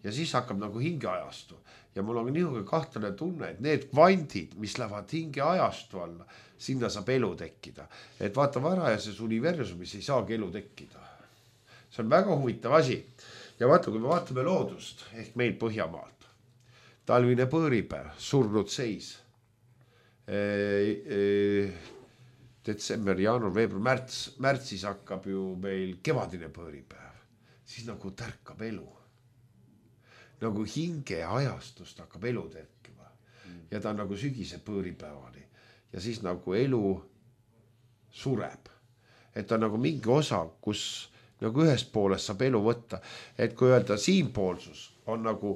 Ja siis hakkab nagu hingeajastu. Ja mul on niisugune kahtlane tunne, et need kvandid, mis lähevad hingeajastu alla, sinna saab elu tekkida. Et vaata, varajases universumis ei saagi elu tekkida. See on väga huvitav asi. Ja vaata, kui me vaatame loodust, ehk meil Põhjamaalt, talvine põõripäev, surnud seis, e, e, detsember, jaanuar, veebruar, märts, märtsis hakkab ju meil kevadine põõripäev, siis nagu tärkab elu. Nagu hinge ajastust hakkab elu tekkima. Ja ta on nagu sügise põõripäevani. Ja siis nagu elu sureb. Et ta on nagu mingi osa, kus nagu ühest poolest saab elu võtta. Et kui öelda siinpoolsus on nagu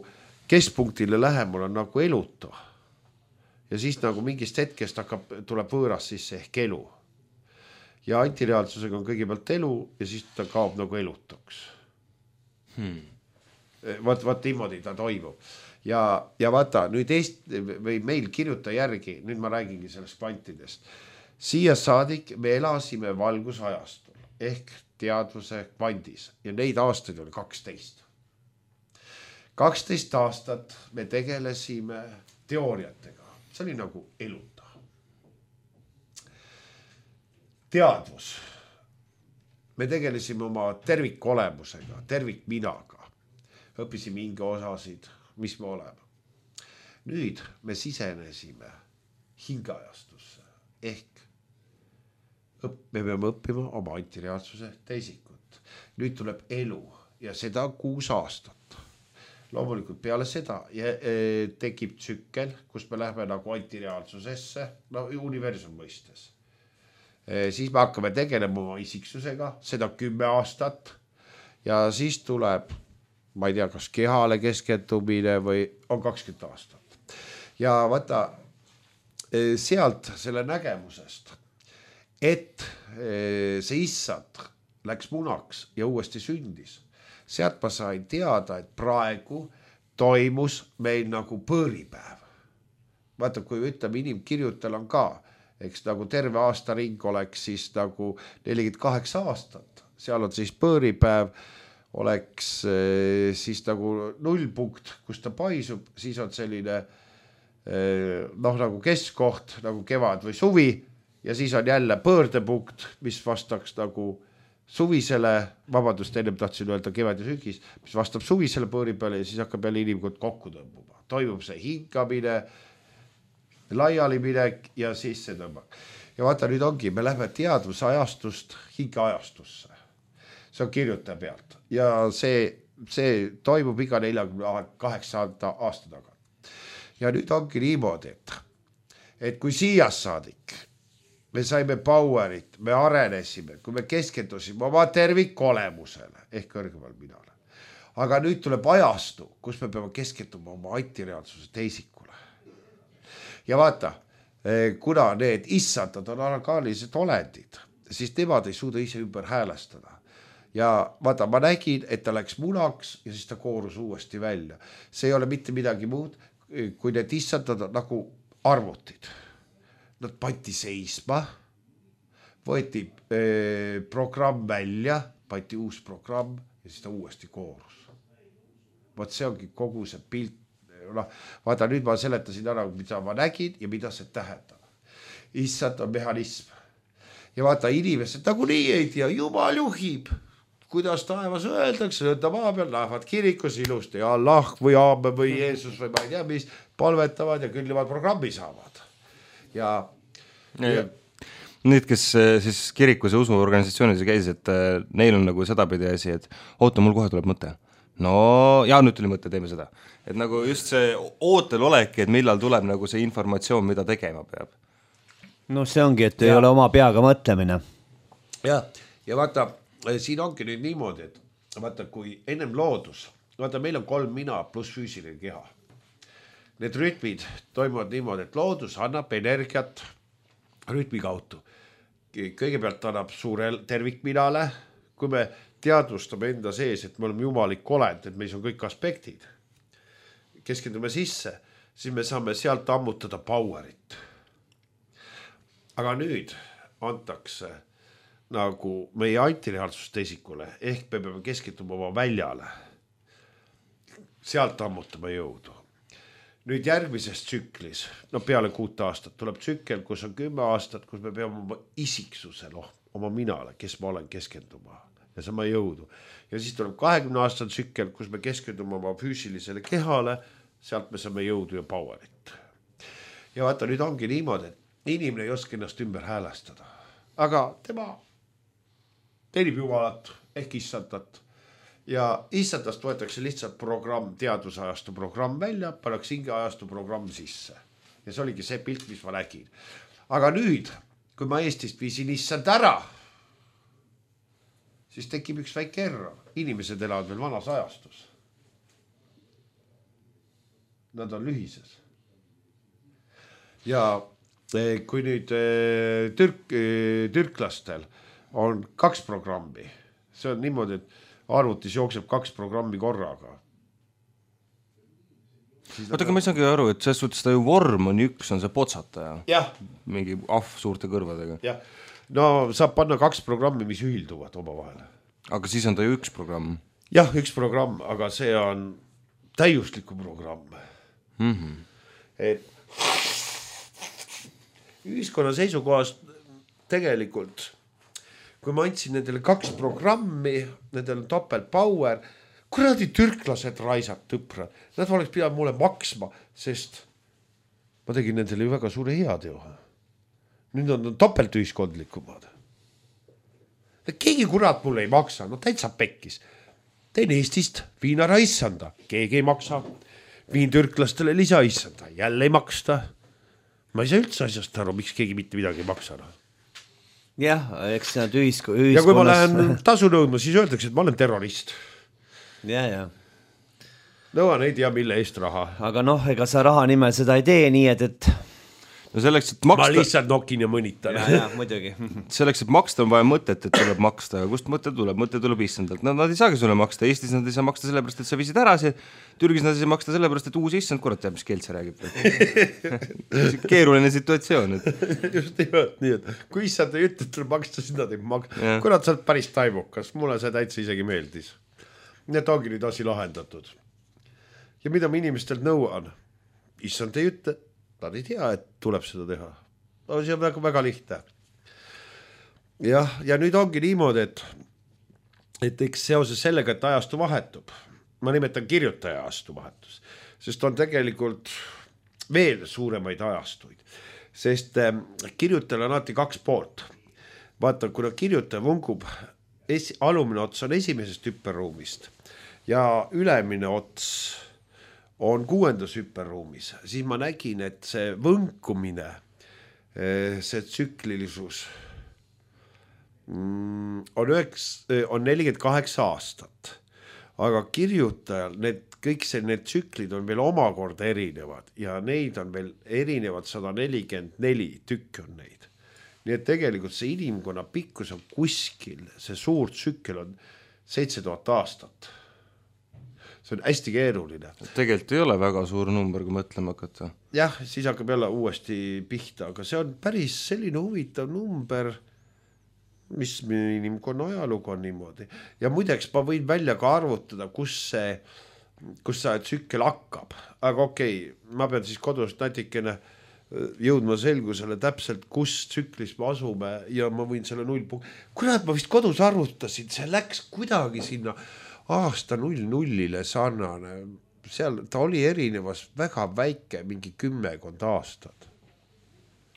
keskpunktile lähemal on nagu elutu. Ja siis nagu mingist hetkest hakkab, tuleb võõras sisse ehk elu. Ja antireaalsusega on kõigepealt elu ja siis ta kaob nagu elutuks. Hmm. Vaat, vaat niimoodi ta toimub. Ja, ja vaata, nüüd Eesti, või meil kirjuta järgi, nüüd ma räägingi sellest kvantidest. Siia saadik me elasime valgusajastul ehk teadvuse kvandis ja neid aastaid oli kaksteist. kaksteist aastat me tegelesime teooriatega. See oli nagu eluta. Teadvus. Me tegelesime oma tervikolemusega, tervikminaga. Õppisime hinge osasid, mis me oleme. Nüüd me sisenesime hingeajastusse ehk õpp, me peame õppima oma antireaalsuse teisikut. Nüüd tuleb elu ja seda kuus aastat. Loomulikult peale seda tekib tsükkel, kus me läheme nagu antireaalsusesse, no universum mõistes. Siis me hakkame tegelema oma isiksusega, seda kümme aastat ja siis tuleb ma ei tea, kas kehale keskendumine või on kakskümmend aastat. Ja vaata, sealt selle nägemusest, et see issand läks munaks ja uuesti sündis. Sealt ma sain teada, et praegu toimus meil nagu põõripäev. Vaata, kui ütleme, inimkirjutel on ka, eks nagu terve aasta ring oleks siis nagu nelikümmend kaheksa aastat. Seal on siis põõripäev, oleks siis nagu nullpunkt, kus ta paisub, siis on selline noh, nagu keskkoht, nagu kevad või suvi ja siis on jälle pöördepunkt, mis vastaks nagu suvisele, vabandust, ennem tahtsin öelda kevad ja sügis, mis vastab suvisele põõri peale ja siis hakkab jälle inimkond kokku tõmbuma. Toimub see hingamine, laialiminek ja siis see tõmbab. Ja vaata, nüüd ongi, me lähme teadvusajastust hingeajastusse. See on kirjutaja pealt ja see, see toimub iga neljakümne kaheksa aasta taga. Ja nüüd ongi niimoodi, et, et kui siias saadik, me saime powerit, me arenesime, kui me keskendusime oma tervikolemusele ehk kõrgemal minale. Aga nüüd tuleb ajastu, kus me peame keskenduma oma antireaalsuse teisikule. Ja vaata, kuna need issandad on orgaanilised olendid, siis nemad ei suuda ise ümber häälestada. ja vaata, ma nägin, et ta läks munaks ja siis ta koorus uuesti välja. See ei ole mitte midagi muud, kui need issandad nagu arvutid. Nad pandi seisma, võeti eh, programm välja, pandi uus programm ja siis ta uuesti koorus. Vaat see ongi kogu see pilt. No, vaata, nüüd ma seletasin ära, mida ma nägin ja mida see tähendab. Issand on mehhanism. Ja vaata, inimesed nagu nii ei tea, Jumal juhib. Kuidas taevas öeldakse, nõnda maa peal lähevad kirikus ilusti ja Allah või Aamen või Jeesus või ma ei tea, mis palvetavad ja küll nemad programmi saavad. Ja, ja, ja need, kes siis kirikus ja usuorganisatsioonides käis, et neil on nagu sedapidi asi, et oota, mul kohe tuleb mõte. No, ja nüüd tuli mõte, teeme seda. Et nagu just see ootel oleki, et millal tuleb nagu see informatsioon, mida tegema peab. No see ongi, et ja. Ei ole oma peaga mõtlemine. Ja, ja vaata, siin ongi nüüd niimoodi, et vaata, kui ennem loodus, vaata, meil on kolm mina pluss füüsiline keha. Need rütmid toimuvad niimoodi, et loodus annab energiat rütmi kaudu. Kõigepealt annab suure tervikminale, kui me teadvustame enda sees, et me oleme jumalik olend, et meis on kõik aspektid. Keskendume sisse, siis me saame sealt ammutada powerit. Aga nüüd antakse nagu meie antireaalsust esikule, ehk me peame keskenduma oma väljale. Sealt ammutame jõudu. Nüüd järgmises tsüklis, no peale kuut aastat, tuleb tsükkel, kus on kümme aastat, kus me peame oma isiksusel, oma minale, kes ma olen, keskenduma. Ja sama jõudu. Ja siis tuleb kahekümne aastal tsükkel, kus me keskendume oma füüsilisele kehale, sealt me saame jõudu ja powerit. Ja vaata, nüüd ongi niimoodi, et inimene ei oska ennast ümber häälestada. Aga tema teenib jumalat ehk issandat. Ja issandast võetakse lihtsalt programm, teadusajastu programm välja, pannakse hingeajastu programm sisse. Ja see oligi see pilt, mis ma nägin. Aga nüüd, kui ma Eestist viisin issand ära, siis tekib üks väike error. Inimesed elavad veel vanas ajastus. Nad on lühises. Ja kui nüüd türk, türklastel on kaks programmi, see on niimoodi, et arvutis jookseb kaks programmi korraga. Oota, aga ma ei saagi aru, et selles suhtes ta ju vorm on üks, on see potsataja. Jah. Mingi ahv suurte kõrvadega. Jah. No saab panna kaks programmi, mis ühilduvad oma vahele. Aga siis on ta ju üks programm. Jah, üks programm, aga see on täiusliku programm. Mm-hmm. Et ühiskonna seisukohast tegelikult, kui ma andsin nendele kaks programmi, nendele on topelt power, kuradi türklased raisad tõprad, nad oleks pidanud mulle maksma, sest ma tegin nendele ju väga suure head joha. Nüüd on topelt ühiskondlikumad. Keegi kurat mulle ei maksa, no täitsa pekkis. Tein Eestist viin ära issanda, keegi ei maksa. Viin türklastele lisa issanda, jälle ei maksta. Ma ei saa üldse asjast aru, miks keegi mitte midagi ei maksa. Jah, eks nad ühisk- ühiskonnas... Ja kui ma lähen tasu nõudma, siis öeldakse, et ma olen terrorist. Ja, ja. Nõuan ei tea, mille eest raha. Aga noh, ega sa raha nimel seda ei tee nii, et... et... No selleks, et maksta... Ma lihtsalt nokin ja mõnitan. Ja, ja, muidugi. Selleks, et maksta on vaja mõtet, et tuleb maksta. Kust mõte tuleb? Mõte tuleb issandalt. Nad, nad ei saagi sulle maksta. Eestis nad ei saa maksta sellepärast, et sa viisid ära see. Türgis nad ei saa maksta sellepärast, et uus issand, kurat teab, mis keelt see räägib. Keeruline situatsioon. Et... Just nimelt nii, et kui issand ei ütle, et tuleb maksta, siis nad ei maksta. Kurat, sa oled päris taimukas. Mulle see täitsa isegi meeldis. Nii et ongi nüüd asi lahendatud. Ja mida ma inimestelt nõuan? Issand ei ütle. Nad ei tea, et tuleb seda teha. No, see on väga, väga lihtne. Jah, ja nüüd ongi niimoodi, et, et eks seoses sellega, et ajastu vahetub. Ma nimetan kirjutaja ajastu vahetus, sest on tegelikult veel suuremaid ajastuid. Sest äh, kirjutajal on alati kaks poolt. Vaata, kuna kirjutaja vungub, esi, alumine ots on esimesest hüpperuumist ja ülemine ots on kuuendas hüpperruumis, siis ma nägin, et see võnkumine, see tsüklilisus on, üheks, on nelikümmend kaheksa aastat, aga kirjutajal need, kõik see, need tsüklid on veel omakorda erinevad ja neid on veel erinevad sada nelikümmend neli tükk on neid. Nii et tegelikult see inimkonna pikkus on kuskil, see suur tsükkel on seitse tuhat aastat. See on hästi keeruline. Tegelikult ei ole väga suur number, kui mõtlema hakata. Jah, siis hakkab jälle uuesti pihta, aga see on päris selline huvitav number, mis inimkonna ajalugu on niimoodi. Ja muideks ma võin välja ka arvutada, kus see, kus see tsükkel hakkab. Aga okei, ma pean siis kodus natikene jõudma selgusele täpselt, kus tsüklis me asume ja ma võin selle null punkt. Kurat, ma vist kodus arvutasin, see läks kuidagi sinna aasta null nullile sarnane. Seal ta oli erinevas väga väike, mingi kümmekond aastad.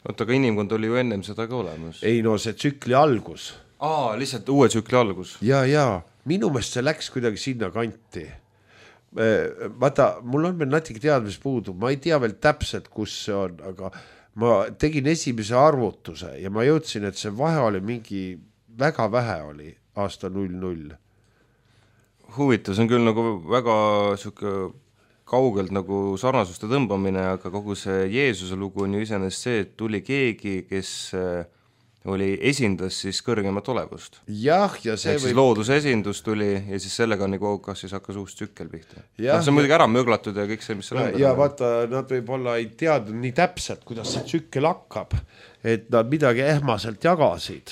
Oota, aga inimkond oli ju ennem seda ka olemas. Ei no see tsükli algus. Aa, lihtsalt uue tsükli algus. Ja, ja, minu meelest see läks kuidagi sinna kanti. Vaata, mul on veel natuke teadmis puudu, ma ei tea veel täpselt, kus see on, aga ma tegin esimese arvutuse ja ma jõudsin, et see vahe oli mingi, väga vähe oli aasta null null. Huvitav, see on küll nagu väga suke kaugelt nagu sarnasuste tõmbamine, aga kogu see Jeesuse lugu on ju iseenesest see, et tuli keegi, kes oli esindas siis kõrgemat olevust. Jah, ja see võib... siis looduse esindus tuli ja siis sellega nagu kas siis hakkas uus tsükkel pihta. Ja, no, see on muidugi ära mööglatud ja kõik see, mis seal on. Ja vaata, nad võib-olla ei teadnud nii täpselt, kuidas see tsükkel hakkab, et nad midagi ehmaselt jagasid.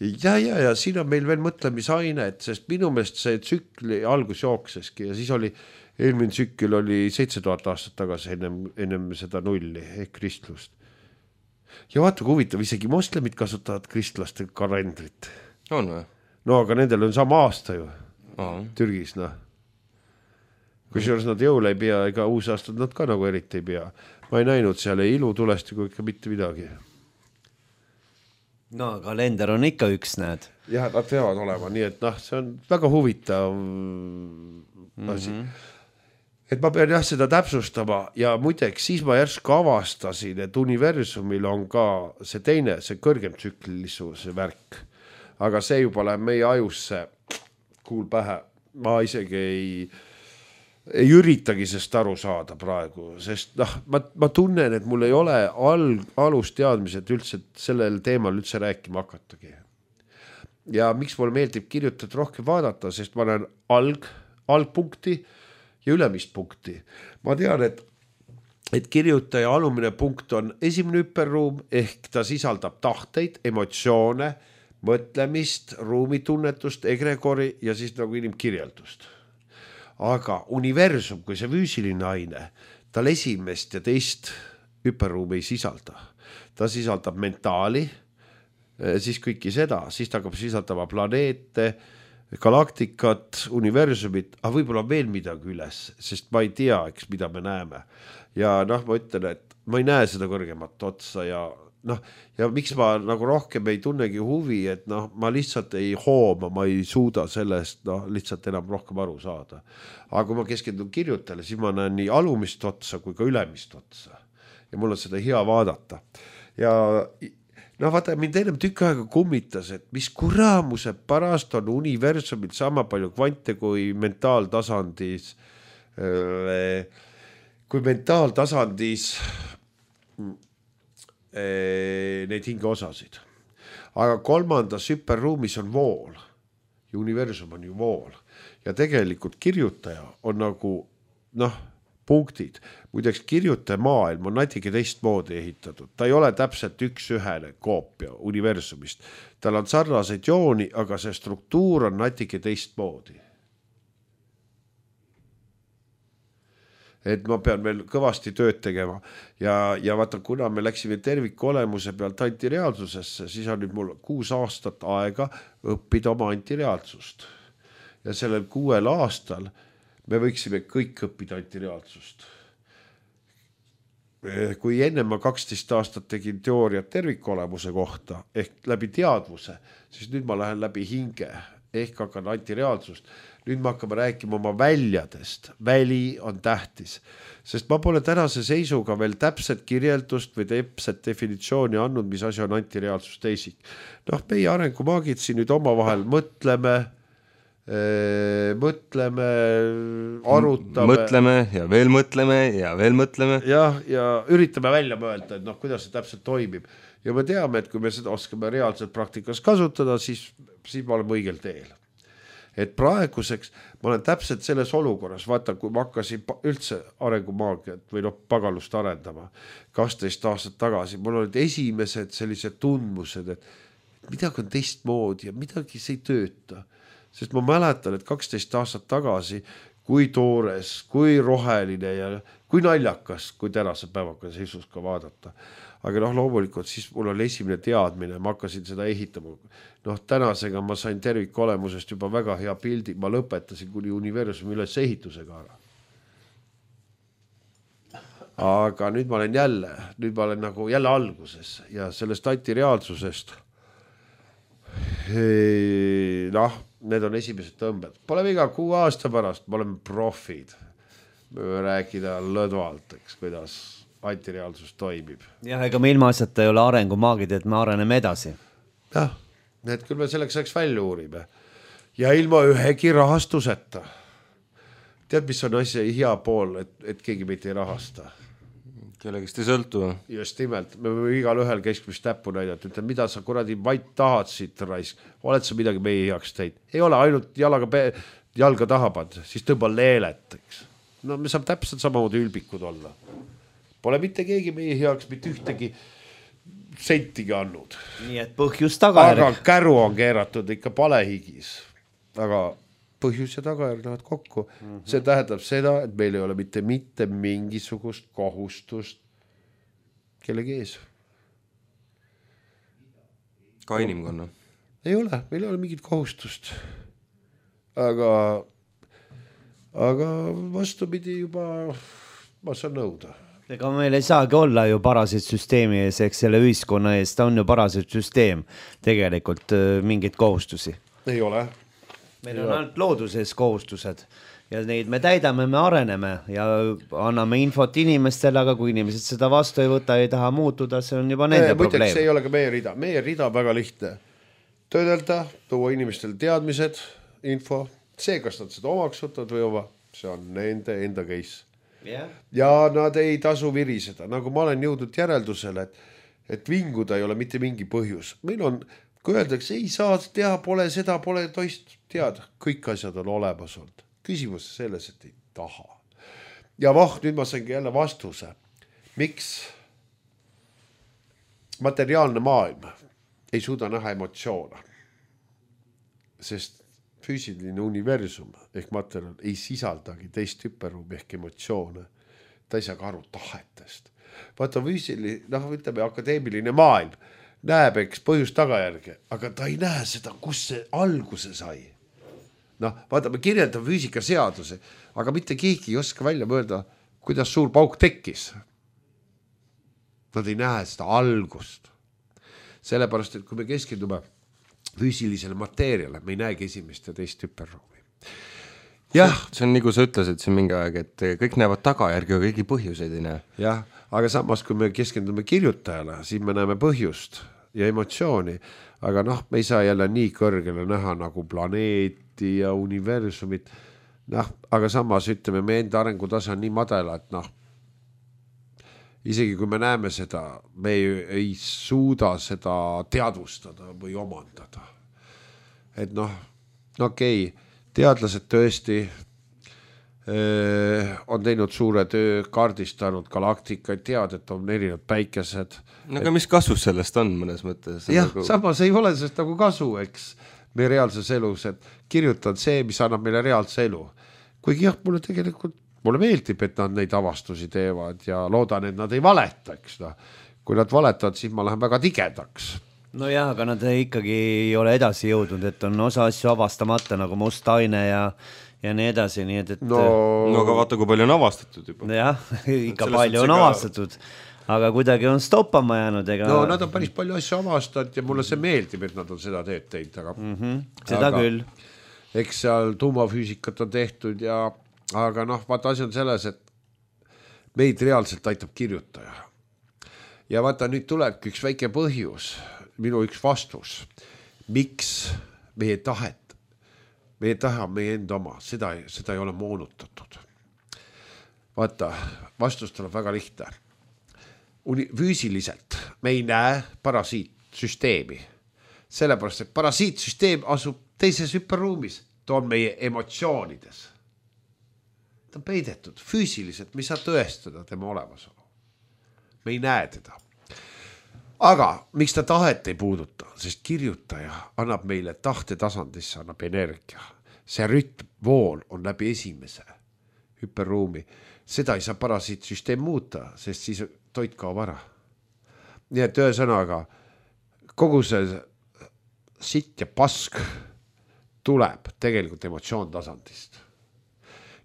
Ja, ja, ja siin on meil veel mõtlemisaine, et sest minu meelest see tsükli algus jookseski ja siis oli, eelmine tsükkel oli seitse tuhat aastat tagasi ennem, ennem seda nulli ehk kristlust. Ja vaata, kui huvitav, isegi moslemid kasutavad kristlaste kalendrit. On või? No aga nendel on sama aasta ju. Aha. Türgis, noh. Kui seejuures nad jõule ei pea, ega uus aastad nad ka nagu eriti ei pea. Ma ei näinud seal ei ilu tulesti kui ikka mitte midagi. No kalender on ikka üks, näed. Jah, nad peavad olema, nii et noh, see on väga huvitav asi. Mm-hmm. Et ma pean jah seda täpsustama ja muideks siis ma järsku avastasin, et universumil on ka see teine, see kõrgem tsüklilisuse värk. Aga see juba läheb meie ajusse kuul pähe. Ma isegi ei, ei üritagi sest aru saada praegu, sest noh, ma, ma tunnen, et mul ei ole al, alust teadmised üldse sellel teemal üldse rääkima hakatagi. Ja miks mulle meeldib kirjutada rohkem vaadata, sest ma olen alg, algpunkti ja ülemist punkti. Ma tean, et, et kirjutaja alumine punkt on esimene hüperruum, ehk ta sisaldab tahteid, emotsioone, mõtlemist, ruumitunnetust, egregori ja siis nagu inimkirjeldust. Aga universum, kui see füüsiline aine, tal esimest ja teist hüperruumi ei sisalda. Ta sisaldab mentaali, siis kõiki seda, siis ta hakkab sisaldama planeete, galaktikat, universumit, aga võib-olla veel midagi üles, sest ma ei tea, eks, mida me näeme. Ja noh, ma ütlen, et ma ei näe seda kõrgemat otsa ja noh, ja miks ma nagu rohkem ei tunnegi huvi, et noh, ma lihtsalt ei hooma, ma ei suuda sellest noh, lihtsalt enam rohkem aru saada. Aga kui ma keskendun kirjutele, siis ma näen nii alumist otsa kui ka ülemist otsa. Ja mul on seda hea vaadata. Ja no vaata, mind ennem tükk aega kummitas, et mis kuramuse pärast on universumil sama palju kvante kui mentaaltasandis, kui mentaaltasandis neid hingeosasid. Aga kolmandas hüperruumis on vool. Ja universum on ju vool. Ja tegelikult kirjutaja on nagu, noh, punktid. Muideks kirjutaja maailm on natuke teistmoodi ehitatud. Ta ei ole täpselt üks-ühene koopia universumist. Tal on sarnaseid jooni, aga see struktuur on natuke teistmoodi. Et ma pean veel kõvasti tööd tegema. Ja, ja vaata, kuna me läksime terviku olemuse pealt antireaalsusesse, siis on nüüd mul kuus aastat aega õppida oma antireaalsust. Ja sellel kuuel aastal me võiksime kõik õppida antireaalsust. Kui enne ma kaksteist aastat tegin teooriat tervikolemuse kohta, ehk läbi teadvuse, siis nüüd ma lähen läbi hinge, ehk hakkan antireaalsust. Nüüd me hakkame rääkima oma väljadest. Väli on tähtis, sest ma pole tänase seisuga veel täpset kirjeldust või täpset definitsiooni andnud, mis asi on antireaalsus teisik. Noh, meie arengumaagid siin nüüd oma vahel mõtleme, mõtleme, arutame. Mõtleme ja veel mõtleme ja veel mõtleme. Ja, ja üritame välja mõelda, et noh, kuidas see täpselt toimib. Ja me teame, et kui me seda oskame reaalselt praktikas kasutada, siis, siis me oleme õigel teel. et praeguseks ma olen täpselt selles olukorras, vaata, kui ma hakkasin üldse arengumaagiat või noh, pagalust arendama kaksteist aastat tagasi, mul olid esimesed sellised tundmused, et midagi on teistmoodi ja midagi see ei tööta. Sest ma mäletan, et kaksteist aastat tagasi, kui toores, kui roheline ja kui naljakas, kui tänase päevaga seisus ka vaadata. Aga noh, loomulikult siis mul oli esimene teadmine, ma hakkasin seda ehitama. Noh, tänasega ma sain tervikolemusest juba väga hea pildi, ma lõpetasin kuni universumi üles ehitusega ära. Aga nüüd ma olen jälle, nüüd ma olen nagu jälle alguses ja sellest antireaalsusest, noh, need on esimesed tõmbed. Pole viga kuu aasta pärast, me oleme profid. Me võime rääkida lõdvalt, eks, kuidas antireaalsus toimib. Jah, ega me ilma asjata ei ole arengumaagid, et me areneme edasi. Jah, need küll me selleks ajaks välja uurime. Ja ilma ühegi rahastuseta. Tead, mis on asja hea pool, et, et keegi meid ei rahasta? Kellegist ei sõltu. Just nimelt, me võime igal ühel keskmist täppu näidata, ütleme, mida sa kuradi vaid tahad siit raisk, oled sa midagi meie heaks teid. Ei ole ainult jalaga pe jalga tahapad, siis tõmba leelet, eks. No me saab täpselt samamoodi ülbikud olla. Pole mitte keegi meie heaks mitte ühtegi sentigi andnud. Nii et põhjus tagajärg. Aga käru on keeratud ikka palehigis. Aga põhjus ja tagajärg lähevad kokku. Mm-hmm. See tähendab seda, et meil ei ole mitte mitte mingisugust kohustust kellegi ees. Ka inimkonna. Ei ole, meil ei ole mingit kohustust. Aga, aga vastupidi juba ma saan nõuda. Ega meil ei saagi olla ju parasid süsteemi ees, eks selle ühiskonna ees, ta on ju parasid süsteem tegelikult mingit kohustusi. Ei ole. Meil on ainult looduses kohustused ja neid me täidame, me areneme ja anname infot inimestele, aga kui inimesed seda vastu ei võta, ei taha muutuda, see on juba nende Muideks, probleem. See ei ole ka meie rida. Meie rida on väga lihtne. Töödelda, tuua inimestele teadmised, info, see, kas nad seda omaks võtavad või oma, see on nende enda case. Yeah. Ja nad ei tasu viriseda. Nagu ma olen jõudnud järeldusele, et, et vinguda ei ole mitte mingi põhjus. Meil on, kui öeldakse, ei saa teha, pole seda, pole toist teada. Kõik asjad on olemas olnud. Küsimus selles, et ei taha. Ja voh, nüüd ma saingi jälle vastuse. Miks materiaalne maailm ei suuda näha emotsioone? Sest füüsiline universum ehk materjal ei sisaldagi teist hüperruumi ehk emotsioone. Ta ei saa ka aru tahetest. Vaata füüsiline, noh, ütleme, akadeemiline maailm näeb, eks, põhjus tagajärge, aga ta ei näe seda, kus see alguse sai. Noh, vaata, me kirjeldame füüsika seaduse, aga mitte keegi ei oska välja mõelda, kuidas suur pauk tekkis. Nad ei näe seda algust. Sellepärast, et kui me keskendume füüsilisele mateeriale, me ei näegi esimest ja teist hüperruumi. Jah. See on nagu sa ütlesid siin mingi aeg, et kõik näevad tagajärgi, aga kõigi põhjuseid ei näe. Jah, aga samas, kui me keskendume kirjutajale, siis me näeme põhjust ja emotsiooni, aga noh, me ei saa jälle nii kõrgele näha nagu planeeti ja universumit. Noh, aga samas ütleme, me enda arengutase on nii madala, et noh, isegi kui me näeme seda, me ei, ei suuda seda teadvustada või omandada. Et noh, okei, teadlased tõesti öö, on teinud suure töö, kaardistanud galaktikaid, tead, et on erinevad päikesed. No aga mis kasus sellest on mõnes mõttes? Jah, nagu... samas ei ole sellest nagu kasu, eks, meie reaalses elus, et kirjutan see, mis annab meile reaalse elu. Kuigi jah, mulle tegelikult mulle meeldib, et nad neid avastusi teevad ja loodan, et nad ei valetaks. No. Kui nad valetavad, siis ma lähen väga tigedaks. No jah, aga nad ikkagi ei ole edasi jõudnud, et on osa asju avastamata nagu must aine ja, ja nii edasi. Nii et, et... No... no aga vaata, kui palju on avastatud juba. Jah, ikka palju on avastatud, aga kuidagi on stoppama jäänud. Ega... No nad on päris palju asju avastanud ja mulle see meeldib, et nad on seda teed teinud. Aga... Mm-hmm. Seda aga, küll. Eks seal tuumafüüsikat on tehtud ja aga noh, vaata asi on selles, et meid reaalselt aitab kirjutaja. Ja vaata, nüüd tuleb üks väike põhjus, minu üks vastus, miks meie tahet, meie tahe on meie enda oma, seda, seda ei ole moonutatud. Vaata, vastus tuleb väga lihtne. Uni, füüsiliselt me ei näe parasiitsüsteemi, sellepärast, et parasiitsüsteem asub teises hüperruumis. ta on meie emotsioonides. Ta on peidetud füüsiliselt, me ei saa tõestada tema olemasolu. Me ei näe teda. Aga miks ta tahet ei puuduta? Sest kirjutaja annab meile tahte tasandisse, annab energia. See rütmvool on läbi esimese hüperruumi. Seda ei saa parasiitsüsteem muuta, sest siis toit kaob ära. Nii et ühesõnaga, kogu see sitt ja pask tuleb tegelikult emotsioon tasandist.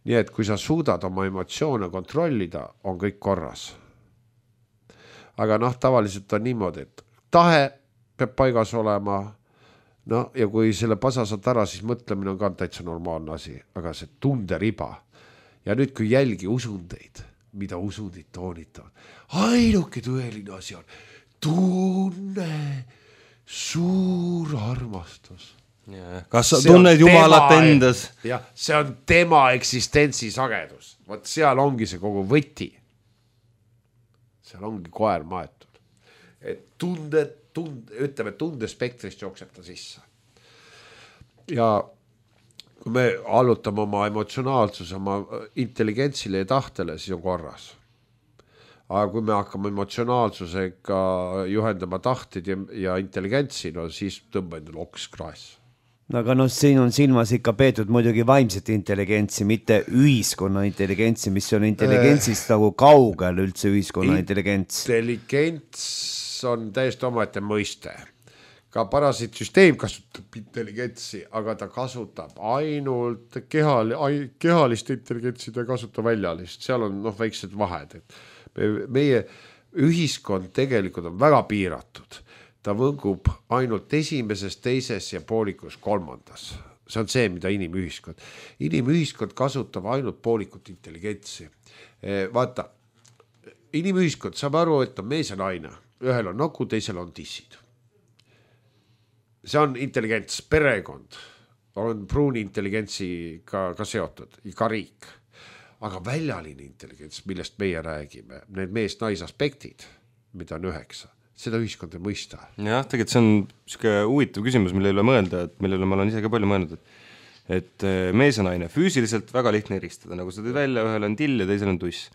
Nii et kui sa suudad oma emotsioone kontrollida, on kõik korras. Aga noh, tavaliselt on niimoodi, et tahe peab paigas olema, no ja kui selle pasa saad ära, siis mõtlemine on ka täitsa normaalne asi, aga see tunderiba. Ja nüüd, kui jälgi usundeid, mida usundid toonitavad, ainuke tõeline asi on tunne, suur armastus. Ja, kas sa tunned Jumalat tema, endas? Ja, see on tema eksistentsi sagedus. Vaat seal ongi see kogu võti. Seal ongi koer maetud. Et tunde, tunde, ütleme, tundespektrist jookseb ta sisse. Ja kui me allutame oma emotsionaalsuse, oma intelligentsile ja tahtele, siis on korras. Aga kui me hakkame emotsionaalsusega juhendama tahtid ja, ja intelligentsi, no siis tõmba endale oks kraes. No aga no siin on silmas ikka peetud muidugi vaimset intelligentsi, mitte ühiskonna intelligentsi, mis on intelligentsist nagu kaugel üldse ühiskonna intelligents. Intelligents on täiesti omaette mõiste. Ka parasiitsüsteem kasutab intelligentsi, aga ta kasutab ainult kehal, kehalist intelligentsi, ta kasutab väljalist. Seal on noh, väiksed vahed. Et meie ühiskond tegelikult on väga piiratud. Ta võngub ainult esimeses, teises ja poolikus kolmandas. See on see, mida inimühiskond. Inimühiskond kasutab ainult poolikut intelligentsi. Vaata, inimühiskond saab aru, et on mees ja naine. Ühel on noku, teisel on tissid. See on intelligents, perekond. On pruuni intelligentsiga ka seotud, ka riik. Aga väljaline intelligents, millest meie räägime, need mees-nais aspektid, mida on üheksa. Seda ühiskond ei mõista. Jah, tegelikult see on siuke huvitav küsimus, mille üle mõelda, et mille üle ma olen ise ka palju mõelnud, et, et mees ja naine füüsiliselt väga lihtne eristada, nagu sa tõid välja, ühel on till ja teisel on tuss.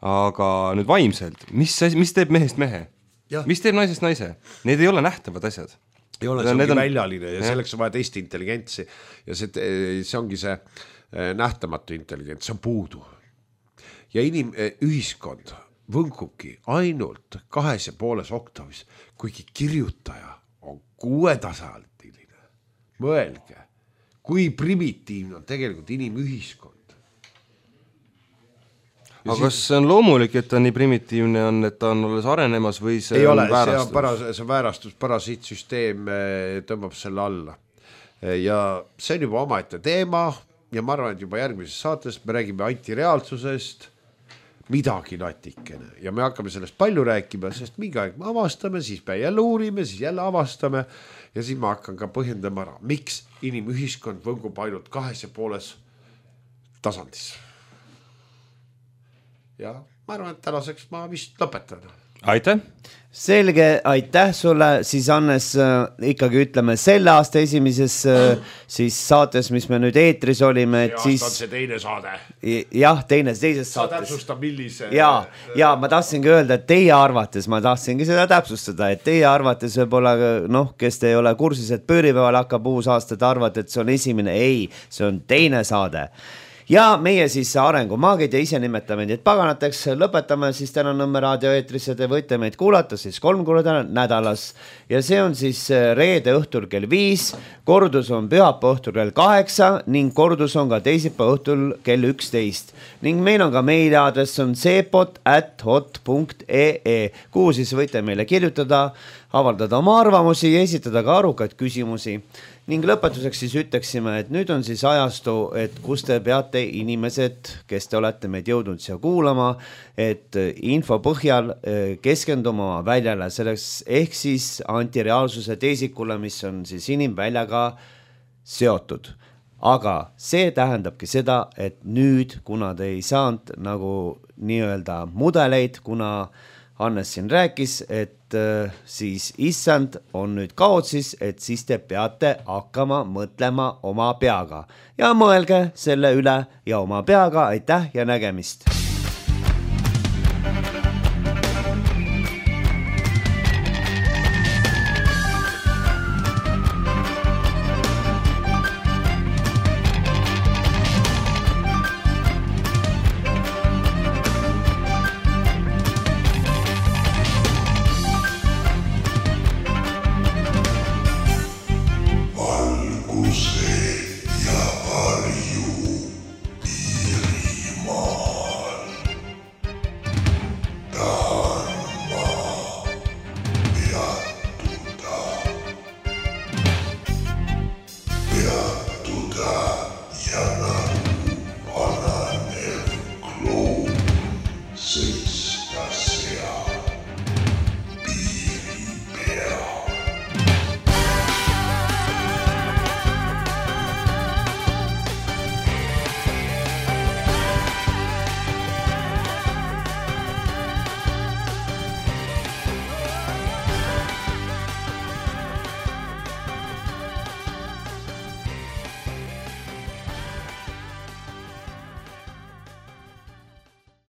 Aga nüüd vaimselt, mis, mis teeb mehest mehe? Ja. Mis teeb naisest naise? Need ei ole nähtavad asjad. Ei ole, see ongi on... väljaline ja, ja selleks on vaja teiste intelligentsi ja see, see ongi see nähtamatu intelligents, see on puudu. Ja inim, ühiskond võngubki ainult kahes ja pooles oktavis, kuigi kirjutaja on kuuetasaltiline. Mõelge, kui primitiivne on tegelikult inimühiskond. Ja aga kas see on loomulik, et ta nii primitiivne on, et ta on alles arenemas või see ei on ole, väärastus? See on paras, see väärastus, parasiitsüsteem tõmbab selle alla. Ja see on juba omaette teema ja ma arvan, et juba järgmises saates me räägime antireaalsusest, midagi natikene ja me hakkame sellest palju rääkima, sest mingi aeg me avastame, siis me jälle uurime, siis jälle avastame ja siis ma hakkan ka põhjendama ära, miks inimühiskond võngub ainult kahes ja pooles tasandis. Ja ma arvan, et tänaseks ma vist lõpetan. Aitäh! Selge, aitäh sulle, siis Annes äh, ikkagi ütleme selle aasta esimeses äh, siis saates, mis me nüüd eetris olime, et see siis... on see teine saade. Jah, teine, teises Sa saates. täpsusta, millise... Ja, ja ma tahtsingi öelda, et teie arvates, ma tahtsingi seda täpsustada, et teie arvates võib-olla, noh, kes te ei ole kursis, et pööripäeval hakkab uus aasta, te arvate, et see on esimene, ei, see on teine saade. Ja meie siis arengumaagid ja ise nimetame neid paganateks, lõpetame siis täna Nõmme raadio eetrisse, te võite meid kuulata siis kolm korda nädalas ja see on siis reede õhtul kell viis, kordus on pühapa õhtul kell kaheksa ning kordus on ka teisipäeva õhtul kell üksteist ning meil on ka meiliaadress on seepot at hot punkt ee, kuhu siis võite meile kirjutada, avaldada oma arvamusi ja esitada ka arukaid küsimusi. Ning lõpetuseks siis ütleksime, et nüüd on siis ajastu, et kus te peate inimesed, kes te olete meid jõudnud siia kuulama, et info põhjal keskenduma väljale selleks ehk siis antireaalsuse teesikule, mis on siis inimväljaga seotud. Aga see tähendabki seda, et nüüd, kuna te ei saanud nagu nii-öelda mudeleid, kuna Hannes siin rääkis, et äh, siis issand on nüüd kaotsis, et siis te peate hakkama mõtlema oma peaga ja mõelge selle üle ja oma peaga, aitäh ja nägemist.